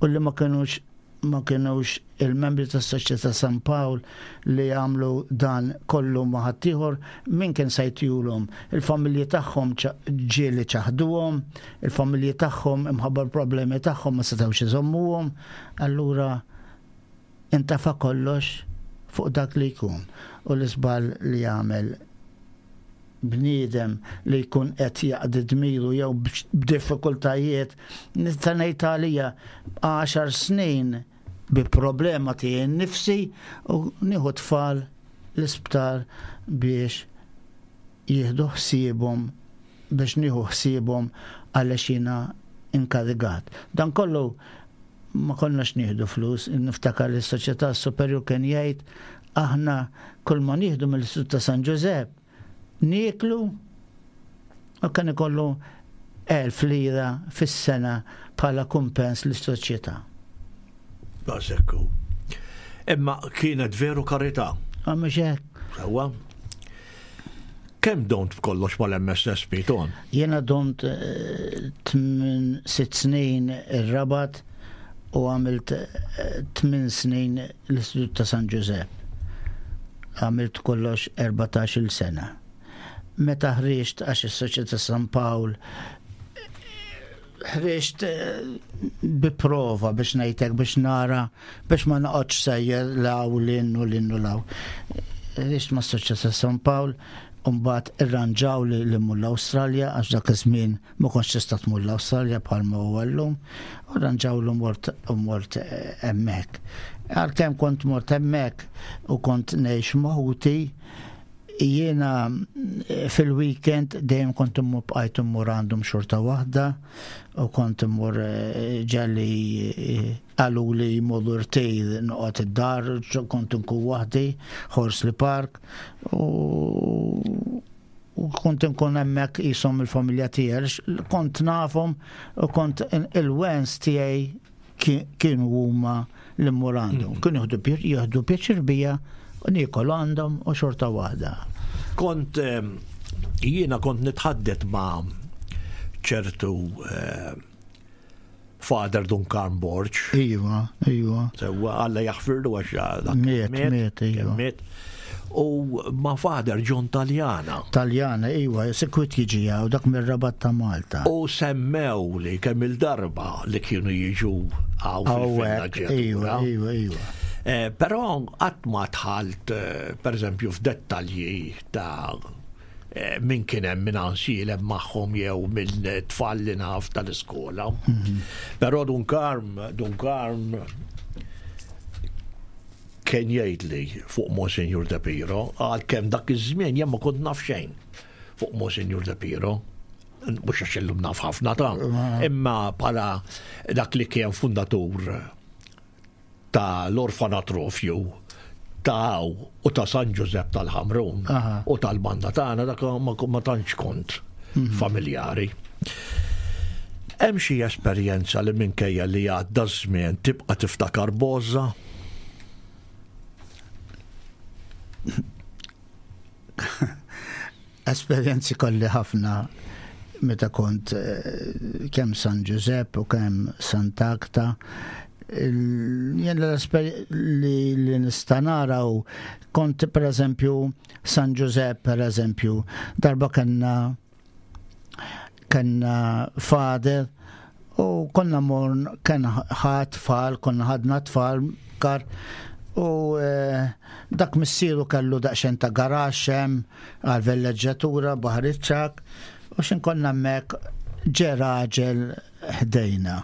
u li ma kienux ma kienux il-membri tas-Soċjetà San Pawl li għamlu dan kollu ma' ħaddieħor, min kien se jtihulhom? Il-familji tagħhom ġieli ċaħduhom, il-familji tagħhom imħabba l-problemi tagħhom ma setgħux iżommuhom, allura intafa kollox fuq dak li jkun. U l-iżball li jagħmel bniedem li jkun qed jaqdi dmiru jew b'diffikultajiet, nista' ngħid għalija għaxar snin bi problema tiegħi nnifsi u nieħu tfal l-isptar biex jieħdu ħsiebhom, biex nieħu ħsiebhom għaliex jiena inkarigat. Dan kollu ma konnax nieħdu flus, niftakar li s-Soċjetà Superjur kien jgħid aħna kull ma nieħdu mill-Istitut ta' San Ġużepp nieklu, u kien ikollu elf lira fis-sena bħala kumpens lis-soċjetà. Daqshekk. Imma kienet veru karità. Mhux hekk. Sewwa. Kemm domt b'kollox mal-M S S P, Ton? Jiena domt eh, tmien sitt snin ir-Rabat u għamilt eh, tmien snin l-Istitut ta' San Ġużepp. Għamilt kollox erbatax-il sena. Meta ħriġt, għax is-Soċjetà San Pawl ħriġt eh, bi prova biex ngħidlek, biex nara, biex ma noqgħodx sejjer law l-innu l-innu law. Ħriġt ma' Soċjetà San Pawl, u mbagħad irranġaw li li mmur l-Awstralja, għax dak iż-żmien ma kontx tista' tmur l-Awstralja bħalma huwa llum, u rranġaw li mort u mort eh, hemmhekk. Għalkemm kont mort hemmhekk u kont ngħix ma' ħuti, jiena eh, fil-weekend dejjem kont immur, bqajt immur għandhom xorta waħda, u kont immur eh, ġieli qalu li jmorru rtir noqgħod id-dar, kont nkun waħdi, Horsley Park, u u kont nkun hemmhekk qishom il-familja tiegħi, kont nafhom u kont il-wens tiegħi kienu huma li mmur għandhom. Kienu jieħdu pjaċir bija u niekol għandhom u xorta waħda. Kont jiena kont nitħaddet ma' ċertu Father Duncan Borg. Iva, iva. Sewwa, Alla jaħfirlu għax dak Miet, miet, iva. Miet. U ma' Father John Taljana. Taljana, iva, sikwit jiġi u dak mir-Rabat ta' Malta. U semmew li kemm il-darba li kienu jiġu hawn Hawnhekk, iva, iva, iva. Eh, Però qatt ma dħalt, eh, per eżempju, f'dettalji ta' eh, min kien hemm minn ansilem magħhom jew minn tfal li naf tal-iskola. Però Dun Karm, Dun Karm kien jgħidli fuq Monsignor De Piro, għalkemm dak iż-żmien jien ma kont naf xejn fuq Monsignor De Piro. Mhux għax illum naf ħafna ta', imma bħala dak li kien fundatur ta' l-orfanatrofju ta' u ta' San Ġużepp tal-Ħamrun Aha. u tal-banda tagħna, dak ma, ma tantx kont familjari. Hemm xi esperjenza li minkejja li għadda żmien tibqa' tiftakar b'għożża? Esperjenzi kolli ħafna meta kont eh, kemm San Giuseppe u kemm Sant'Agata. Jien li li nista' nara u kont, per eżempju, San Giuseppe, per eżempju, darba kellna kellna father u konna morn kien ħadd tfal, konna ħadna tfal kar u eh, dak missieru kellu daqsxejn ta' garaxx hemm għal villeġġatura Baħar iċ-Ċagħak u xin konna hemmhekk ġe raġel ħdejna.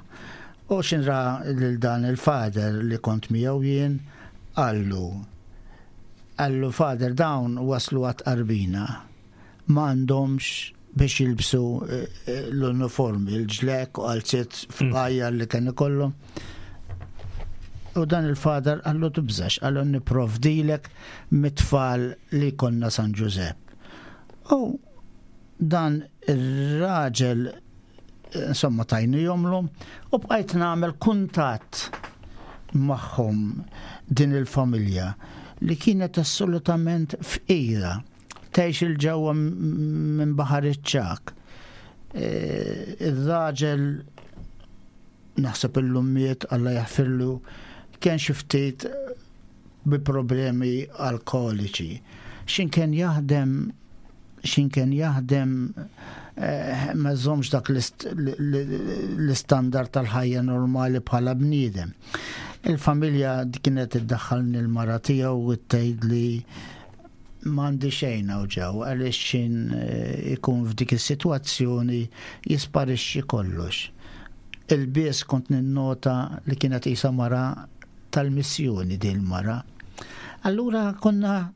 U xin ra lil dan il-father li kont miegħu jien, qallu qallu "Father, dawn waslu għat-tqarbina. Ma għandhomx biex jilbsu eh, eh, l-uniformi, il-ġlekk u qalziet fqajjar li kien ikollhom." U dan il-father qallu: "Tibżax," qallu, "nipprovdilek mit-tfal li konna San Giuseppe." U dan il-raġel, insomma, tajnihomlu u bqajt nagħmel kuntatt magħhom, din il-familja li kienet assolutament fqira, tgħix 'il ġewwa minn Baħar iċ-Ċagħak. E, Il-raġel naħseb illum miet, Alla jaħfirlu, kien xi ftit bi problemi alkoliċi. Xin kien jaħdem xin kien jaħdem eh, ma żommx dak l-istandard tal-ħajja normali bħala bniedem. Il-familja kienet iddaħħalni l-mara tiegħu u tgħid li m'għandi xejn hawn ġew, għaliex xin eh, ikun f'dik is-sitwazzjoni jisparixxi kollox. Il-bies kont ninnota li kienet isa mara tal-missjoni din mara. Allura konna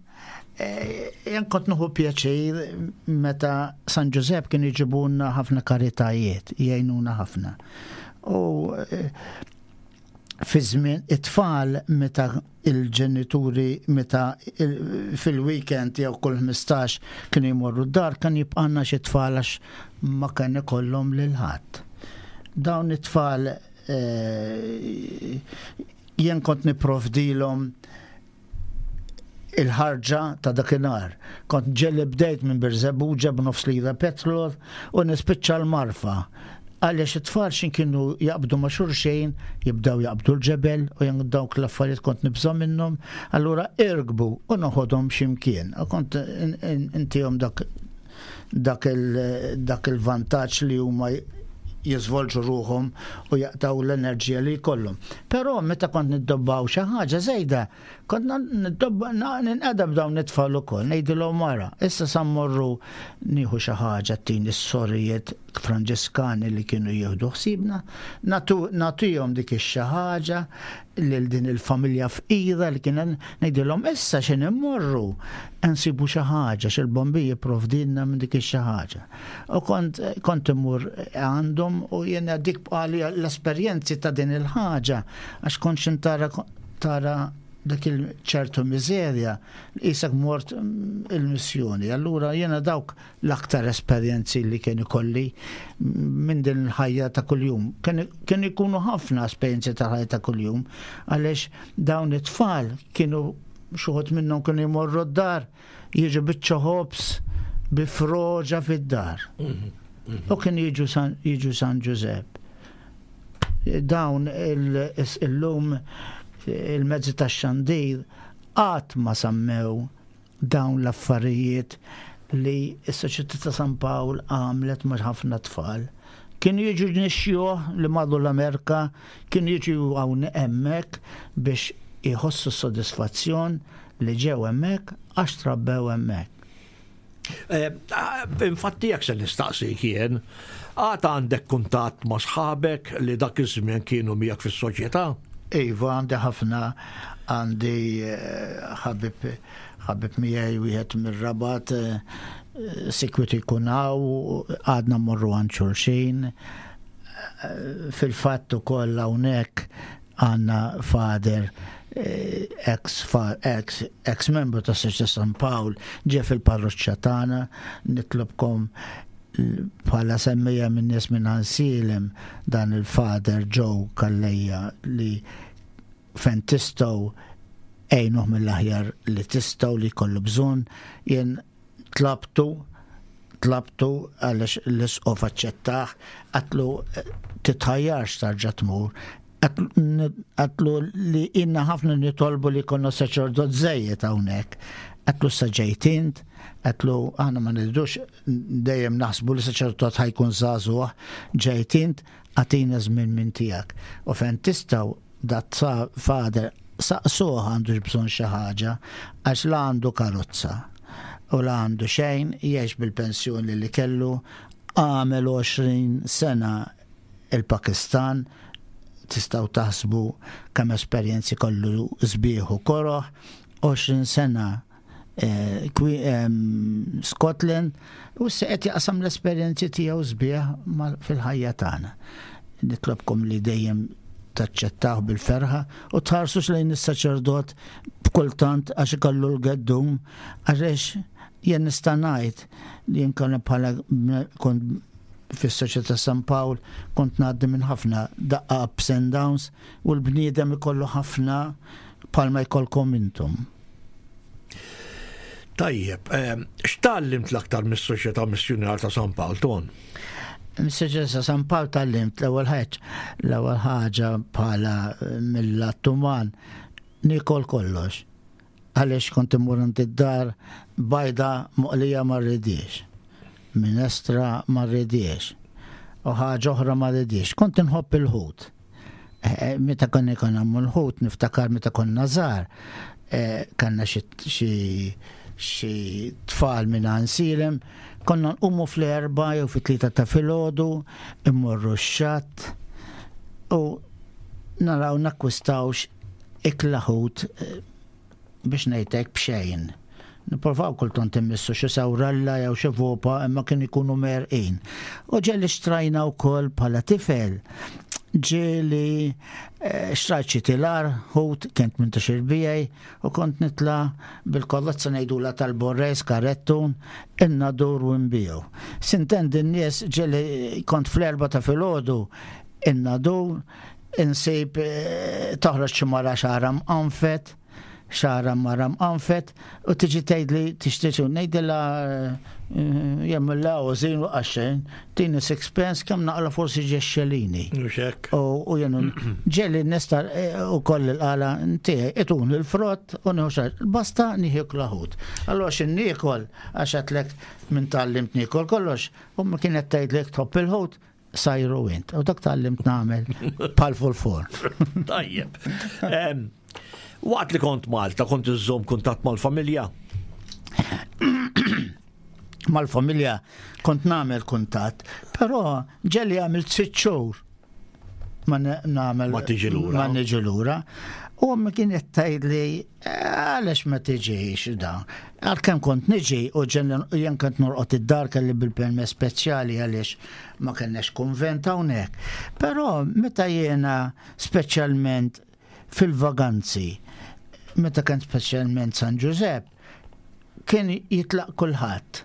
eh, jien kont nieħu pjaċir meta San Giuseppe kien iġibunna ħafna karitajiet, jgħinuna ħafna. U eh, fi żmien it-tfal, meta il-ġenituri, meta fil-weekend jew kull ħmistax kienu jmorru d-dar, kan jibqanna xi tfal għax ma kien ikollhom lil ħadd. Dawn it-tfal eh, jien kont nipprovdilhom il-ħarġa ta' dakinhar. Kont ġieli bdejt minn Birżebbuġa b'nofs lira petrol u nispiċċa l-Marfa. Għaliex it-tfal xin kienu jaqbdu ma' xulxejn, jibdaw jaqbdu l-ġebel u jien dawk l-affarijiet kont nibża' minnhom, allura irkbu u noħodhom x'imkien. U kont intihom dak dak il-vantaġġ li huma jiżvolġu ruħhom u jaqtaw l-enerġija li jkollhom. Però meta kont niddobbaw xi ħaġa żejda, kont niddobba ninqeda b'dawn it-tfal ukoll, ngħidilhom: "Mara, issa sa mmorru nieħu xi ħaġa tini s-sorijiet Franġiskani li kienu jieħdu ħsibna, nagħtihom dik ix-xi ħaġa lil din il-familja fqira li kien ngħidilhom issa xi immorru nsibu xi ħaġa x'il-bombi jipprovdilna minn dik ix-xi ħaġa." U kont kont immur għandhom u jiena dik bqali l-esperjenzi ta' din il-ħaġa, għax kont xin tara tara dak il-ċertu miżerja qisek mort il-missjoni. Allura jiena dawk l-aktar esperjenzi li kien ikolli minn din il-ħajja ta' kuljum. Kien ikunu ħafna esperjenzi ta' ħajja ta' kuljum, għaliex dawn it-tfal kienu xi wħud minnhom kienu jmorru d-dar, jiġu biċċa ħobż bi froġa fid-dar. U kien jiġu San, jiġu San Giuseppe. Dawn il-lum il-mezzi ta' xandir qatt ma semmew dawn l-affarijiet li s-Soċjetà ta' San Pawl għamlet ma' ħafna tfal. Kienu jiġu nixjuħ li marru l-Amerika, kienu jiġu hawn hemmhekk biex jħossu s-sodisfazzjon li ġew hemmhekk għax trabbew hemmhekk. Eh, infatti jekk se nistaqsik jien, għad għandek kuntatt ma' sħabek li dak iż-żmien kienu miegħek fis-soċjetà? Iva, għandi ħafna, għandi eh, ħabib ħabib miegħi wieħed mir-Rabat, eh, sikwit ikun hawn, għadna mmorru għand xulxin. Fil-fatt ukoll hawnhekk għandna father, ex ex ex membru ta' Soċjetà San Pawl, ġie fil-parroċċa tagħna. Nitlobkom bħala semmija minn nies minn Għajnsielem, dan il-father Joe Calleja, li fejn tistgħu għinuh mill-aħjar li tistgħu li kollu bżonn. Jien Tlabtu, tlabtu għaliex l-isqof aċċettah, għedtlu titħajjarx tarġa' tmur. Għedtlu li ilna ħafna nitolbu li konna saċerdot żejjed hawnhekk. Għedtlu issa ġejt int, għedtlu aħna ma nridux dejjem naħsbu li saċerdot ħa jkun żagħżugħ, ġejt int, agħtina żmien minn tiegħek. U fejn tistgħu dat father saqsuh għandux bżonn xi ħaġa, għax la għandu karozza u la għandu xejn, jgħix bil-pensjoni li kellu, għamel għoxrin sena il-Pakistan, tistgħu taħsbu kemm esperjenzi kollu sbieħ u koroh, għoxrin sena eh, Scotland, u issa qed jaqsam l-esperjenzi tiegħu sbieħ fil-ħajja tagħna. Nitlobkom li dejjem taċċettaw bil-ferħa u tħarsux lejn is-saċerdot b'kultant għax ikollu l-geddum, għax jien nista' ngħid li jien konna bħala kont fis-Soċjetà San Pawl kont ngħaddi minn ħafna daqqa ups and downs u l-bniedem ikollu ħafna bħalma jkollkom intom. Tajjeb, x'tgħallimt l-aktar mis-Soċjetà Missjunarja ta' San Pawl, Ton? Mis-Soċjetà San Pawl tgħallimt l-ewwel ħaġa, l-ewwel ħaġa bħala mill-lat uman nikol kollox. Għaliex kont immur id-dar bajda moqlija ma rridix, minestra ma rridix, u ħaġa oħra ma rridix. Kont inħobb il-ħut. Meta konna konna l-ħut, niftakar meta konna żgħar, kellna xi tfal minn Għajnsielem, konna nqumu fl-erba jew fit-tlieta ta' filgħodu, immorru x-xatt u naraw nakkwistawx ikla ħut biex ngħidlek b'xejn. Nipprovaw kultant immissu xi sawralla jew xi vopa, imma kien ikunu merqin. U ġieli xtrajna wkoll bħala tifel. Ġieli xtrajt xi tilar, ħut, kent minn ta' xirbijaj, u kont nitla bil-kollozza ngħidula tal-borres, karettun, in-Nadur u nbiegħu. S'intendi n-nies ġieli kont fl-erba ta' filgħodu in-Nadur, insib toħroġ xi mara xagħarha mqanfet, xagħarha mara mqanfet, u tiġi tgħidli tixtieq ngħidilha jemmilla użin u qaxxejn, tini sixpence kemm naqla forsi ġexxelini. U jenu ġieli nista u koll il-qala tiegħi itun il-frott u nieħu xar. Basta nieħu ħut. Allura x'in niekol għax għedtlek minn tgħallimt niekol kollox, u ma kienet tgħidlek tħobb il-ħut, sajru int. U dak tgħallimt nagħmel pal full. Tajjeb. Waqt li kont Malta, kont iżżomm kuntatt mal-familja? Mal-familja kont nagħmel kuntatt, però ġieli għamilt sitt xhur ma nagħmel ma tiġi lura. Ma niġi lura. U ma kienet tgħidli għaliex ma tiġix da. Għalkemm kont niġi u jien kont norqod id-dar kelli bil-permess speċjali għaliex ma kellnex kunvent hawnhekk. Però meta jiena speċjalment fil-vaganzi, meta kien speċjalment San Ġużepp, kien jitlaq kulħadd,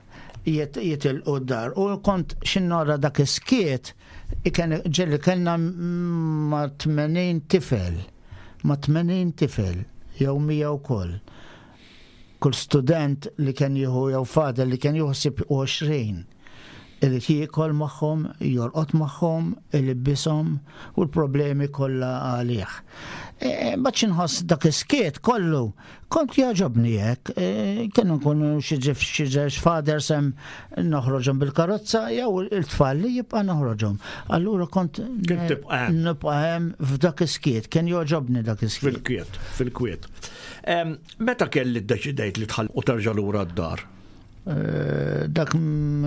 jitilqu d-dar. U kont x'nara dak iskiet, ġieli kellna ma' tmenin tifel, ma' tmenin tifel, jew mija wkoll. Kull student li kien jieħu jew father li kien jieħu ħsieb għoxrin. Irid jiekol magħhom, jorqod magħhom, ilibbishom u l-problemi kollha għalih. Mbagħad xi nħoss dak iskiet kollu, kont jogħġobni hekk, kienu nkunu xi żewġ fathers hemm noħroġhom bil-karozza jew il-tfal li jibqa' noħroġhom. Allura kont nibqa' hemm f'dak iskiet, kien jogħġobni dak iskiet. Fil-kwiet, fil-kwiet. Meta kelli ddeċidejt li tħall u terġa' lura d-dar? Dak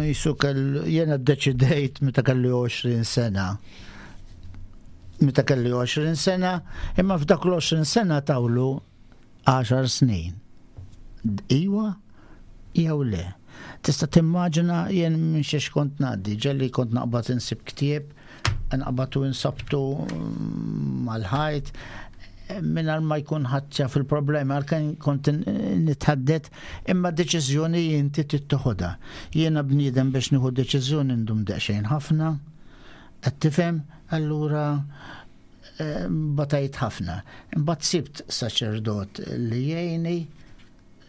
jisu kell jena ddeċidejt meta kelli għoxrin sena. Meta kelli għoxrin sena, imma f'dak l-għoxrin sena tawlu għaxar snin. Iwa jew le. Tista' timmaġina jien minn xiex kont ngħaddi, ġieli kont naqbad insib ktieb, naqbad u insabtu mal-ħajt, mingħajr ma jkun ħadd fil-problemi, għalkemm kont nitħaddet, imma deċiżjoni inti tittoħodha. Jiena bniedem biex nieħu deċiżjoni ndum daqsxejn ħafna, qed tifhem, allura batajt ħafna. Imbagħad sibt saċerdot li jgħinni,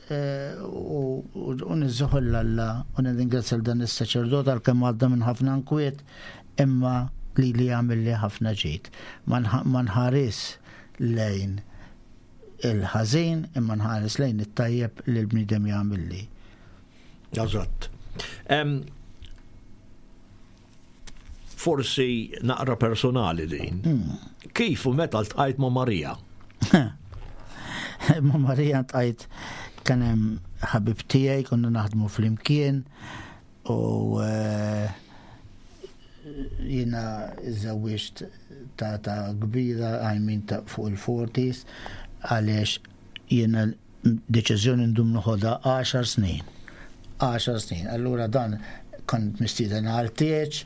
eh, u u niżżuħu 'l Alla u nirringrazzja dan is-saċerdot għalkemm għadda minn ħafna nkwiet, imma li li għamel li ħafna ġid. Ma nħ- ma nħares lejn il-ħażin, imma nħares lejn it-tajjeb li l-bniedem jagħmel li. Eżatt. Em, Forsi naqra personali din. Kif u meta ltqajt ma' Marija? Ma' Marija ltqajt, kien hemm ħabib tiegħi, konna naħdmu flimkien u eh, jiena żżewwiġt ta' ta' kbira, I mean, ta' fuq il-forties, għaliex jiena deċiżjoni ndum noħodha għaxar snin. għaxar snin. Allura dan kont mistieden għal tieġ,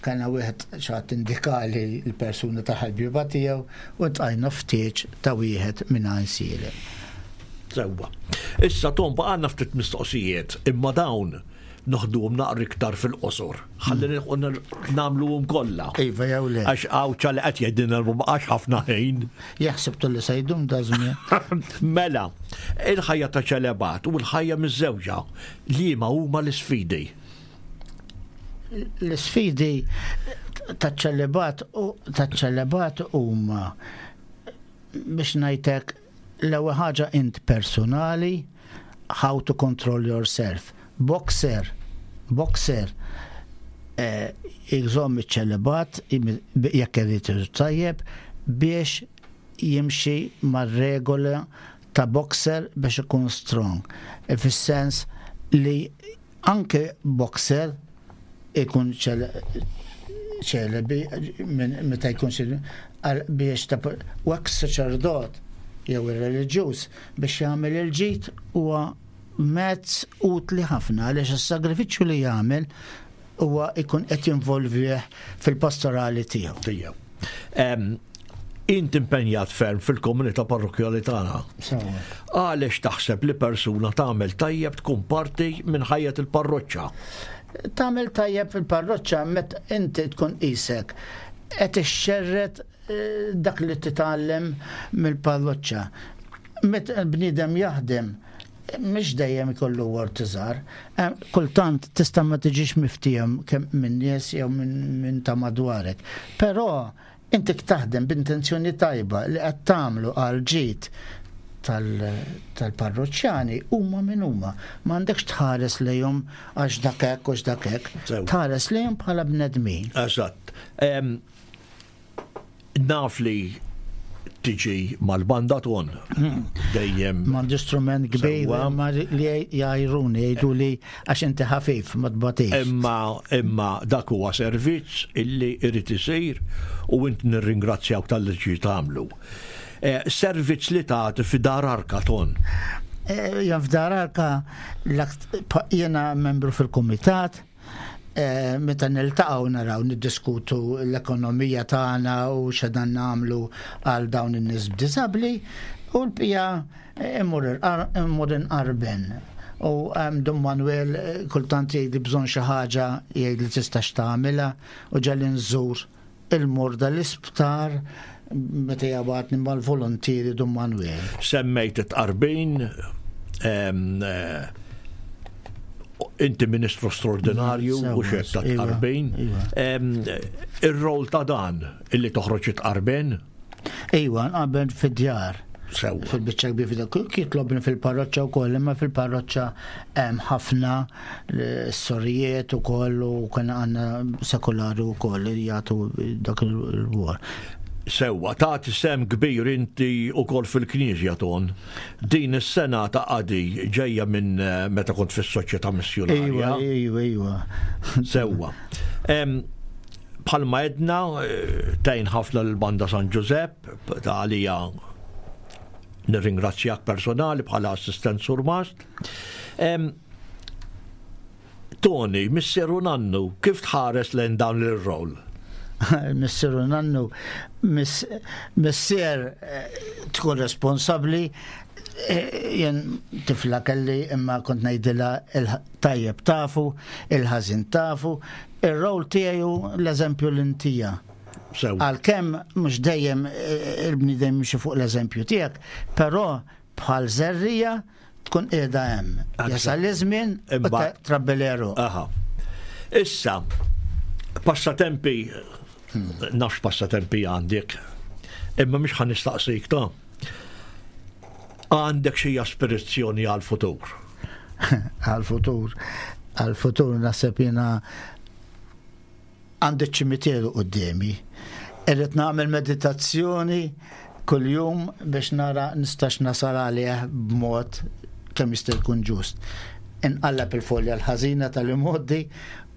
kien wieħed xi ħadd indikali l-persuna ta' ħabiba tiegħu u ltqajna f'tieġ ta' wieħed minn Għajnsielem. Sewwa. Issa Tom, baqgħalna ftit mistoqsijiet, imma dawn noħduhom naqra iktar fil-qosor. Ħalli nilħqu nagħmluhom kollha. Iva jew le. Għax għawċa li qed jgħidilna ma baqax ħafna ħin. Jaħseb li se jdum da żmien. Mela, il-ħajja ta' ċelebat u l-ħajja miż-żewġa, liema huma l-isfidi? L-sfidi ta' ċelebat u ta' ċelebat huma, biex ngħidlek, l-ewwel ħaġa int personali, how to control yourself. Boxer, boxer eh, jżomm iċ-ċelebat jekk irid tajjeb biex jimxi mar-regola ta' boxer biex ikun strong. E fis-sens li anke boxer ikun ċelebi minn meta jkun xi- għal- biex ta' u hekk saċerdot jew ir-reliġjuż biex jagħmel il-ġid huwa mezz utli ħafna, għaliex is-sagrifiċċju li jagħmel huwa ikun qed jinvolvih fil-pastorali tiegħu. Tiegħu. Em, Int impenjat ferm fil-komunità parrokjali tagħna. Sewwa. Għaliex taħseb li persuna tagħmel tajjeb tkun parti minn ħajja il-parroċċa? Tagħmel tajjeb fil-parroċċa meta inti tkun qisek qed ixxerred eh, dak li titgħallem mill-parroċċa. Meta l-bniedem jaħdem, mhux dejjem ikollu wort iżgħar. Eh, Kultant tista' ma tiġix miftiem kemm minn nies jew minn min ta' madwarek. Però inti taħdem b'intenzjoni tajba li qed tagħmlu għal ġid tal-parroċċjani, huma minn huma. M'għandekx tħares lejhom għax dak hekk u dak hekk. Sew. Tħares lejhom bħala bnedmin. Eżatt. Em, Naf li tiġi mal-banda ton. Dejjem. M'għandi strument kbir Sewwa. ma li jgħajruni, jgħidu li għax inti ħafif ma tbatix. Imma imma dak huwa servizz illi irid isir u int nirringrazzjawk talli ġi tagħmlu. Eh, Servizz li tagħti fi Dar Arka, Ton. Eh, Jan f'Dar Arka l-akt- pa- jiena membru fil-kumitat, eh, meta niltaqgħu naraw niddiskutu l-ekonomija tagħna u x'dan nagħmlu għal dawn in-nies b'diżabbli u l-bqija immur irqar- immur inqarben. U um, Dun Manuel eh, kultant jgħid li bżonn xi ħaġa, jgħid li tistax tagħmilha, u ġalli nżur il-morda l-isptar meta jibgħatni mal-volontieri Dun Manuel. Semmejt it-tqarbin, em, eh, inti ministru straordinarju Sewwa, u xek ta' iva, tqarbin. iva. Em, Ir-rol ta' dan illi toħroġ it-tqarbin, Iwa, nqarben fid-djar. Sewwa. Fil-biċċa kbir fid-djar. Jitlobni fil-parroċċa wkoll, imma fil-parroċċa hemm ħafna eh, sorijiet ukoll u kien għandna sekolari wkoll li jagħtu dak il-wor. Sewwa, tagħti sehem kbir inti ukoll fil-Knisja, Ton. Din is-sena ta' qadi ġejja minn eh, meta kont fis-Soċjetà Iwa, Missjunarja. iwa, iwa. Sewwa. Em, Bħalma edna, eh, tgħin ħafna l-Banda San Giuseppe, ta' għalija nirringrazzjak personali bħala assistent surmast. Em, Tony, missier u nannu, kif tħares lejn dan il-rol? Missier u nannu, miss- missier eh, tkun responsabli, eh, jien tifla kelli imma kont ngħidilha il-tajjeb tafu, il-ħażin tafu, ir-rol tiegħu l-eżempju l-intija. Sew. Għalkemm mhux dejjem eh, il-bniedem jimxi fuq l-eżempju tiegħek, però bħal żerriegħa tkun qiegħda hemm. Jasal iż-żmien u trabbi l-għeruq. Aha. Issa, passatempi, nafx passatempi għandek, imma mhux ħa nistaqsik ta'. Għandek xi aspirazzjoni għal-futur? Għal-futur. Għal-futur naħseb jiena għandi ċimiteru quddiemi. Irrid nagħmel meditazzjoni kuljum biex nara nistax nasal għalih b'mod kemm jista' jkun ġust. Inqalleb il-folja l-ħażina tal-imgħoddi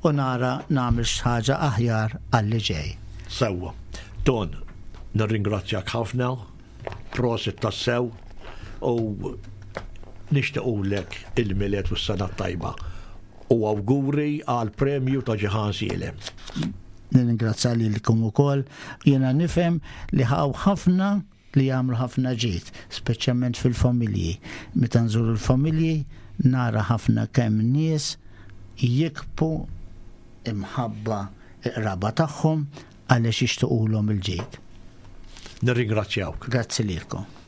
u nara nagħmel xi ħaġa aħjar għalli ġej. Sewwa. Ton, nirringrazzjak ħafna, prosit tassew u nixtiequlek il-Milied u s-sena tajba u awguri għal premju ta' Ġiħan Sielem. Nirringrazzja lilkom ukoll. Jiena nifhem li hawn ħafna li jagħmlu ħafna ġid, speċjalment fil-familji. Meta nżuru l-familji nara ħafna kemm nies jikbu imħabba qraba tagħhom għaliex jixtiequlhom il-ġid. Nirringrazzjawk. Grazzi lilkom.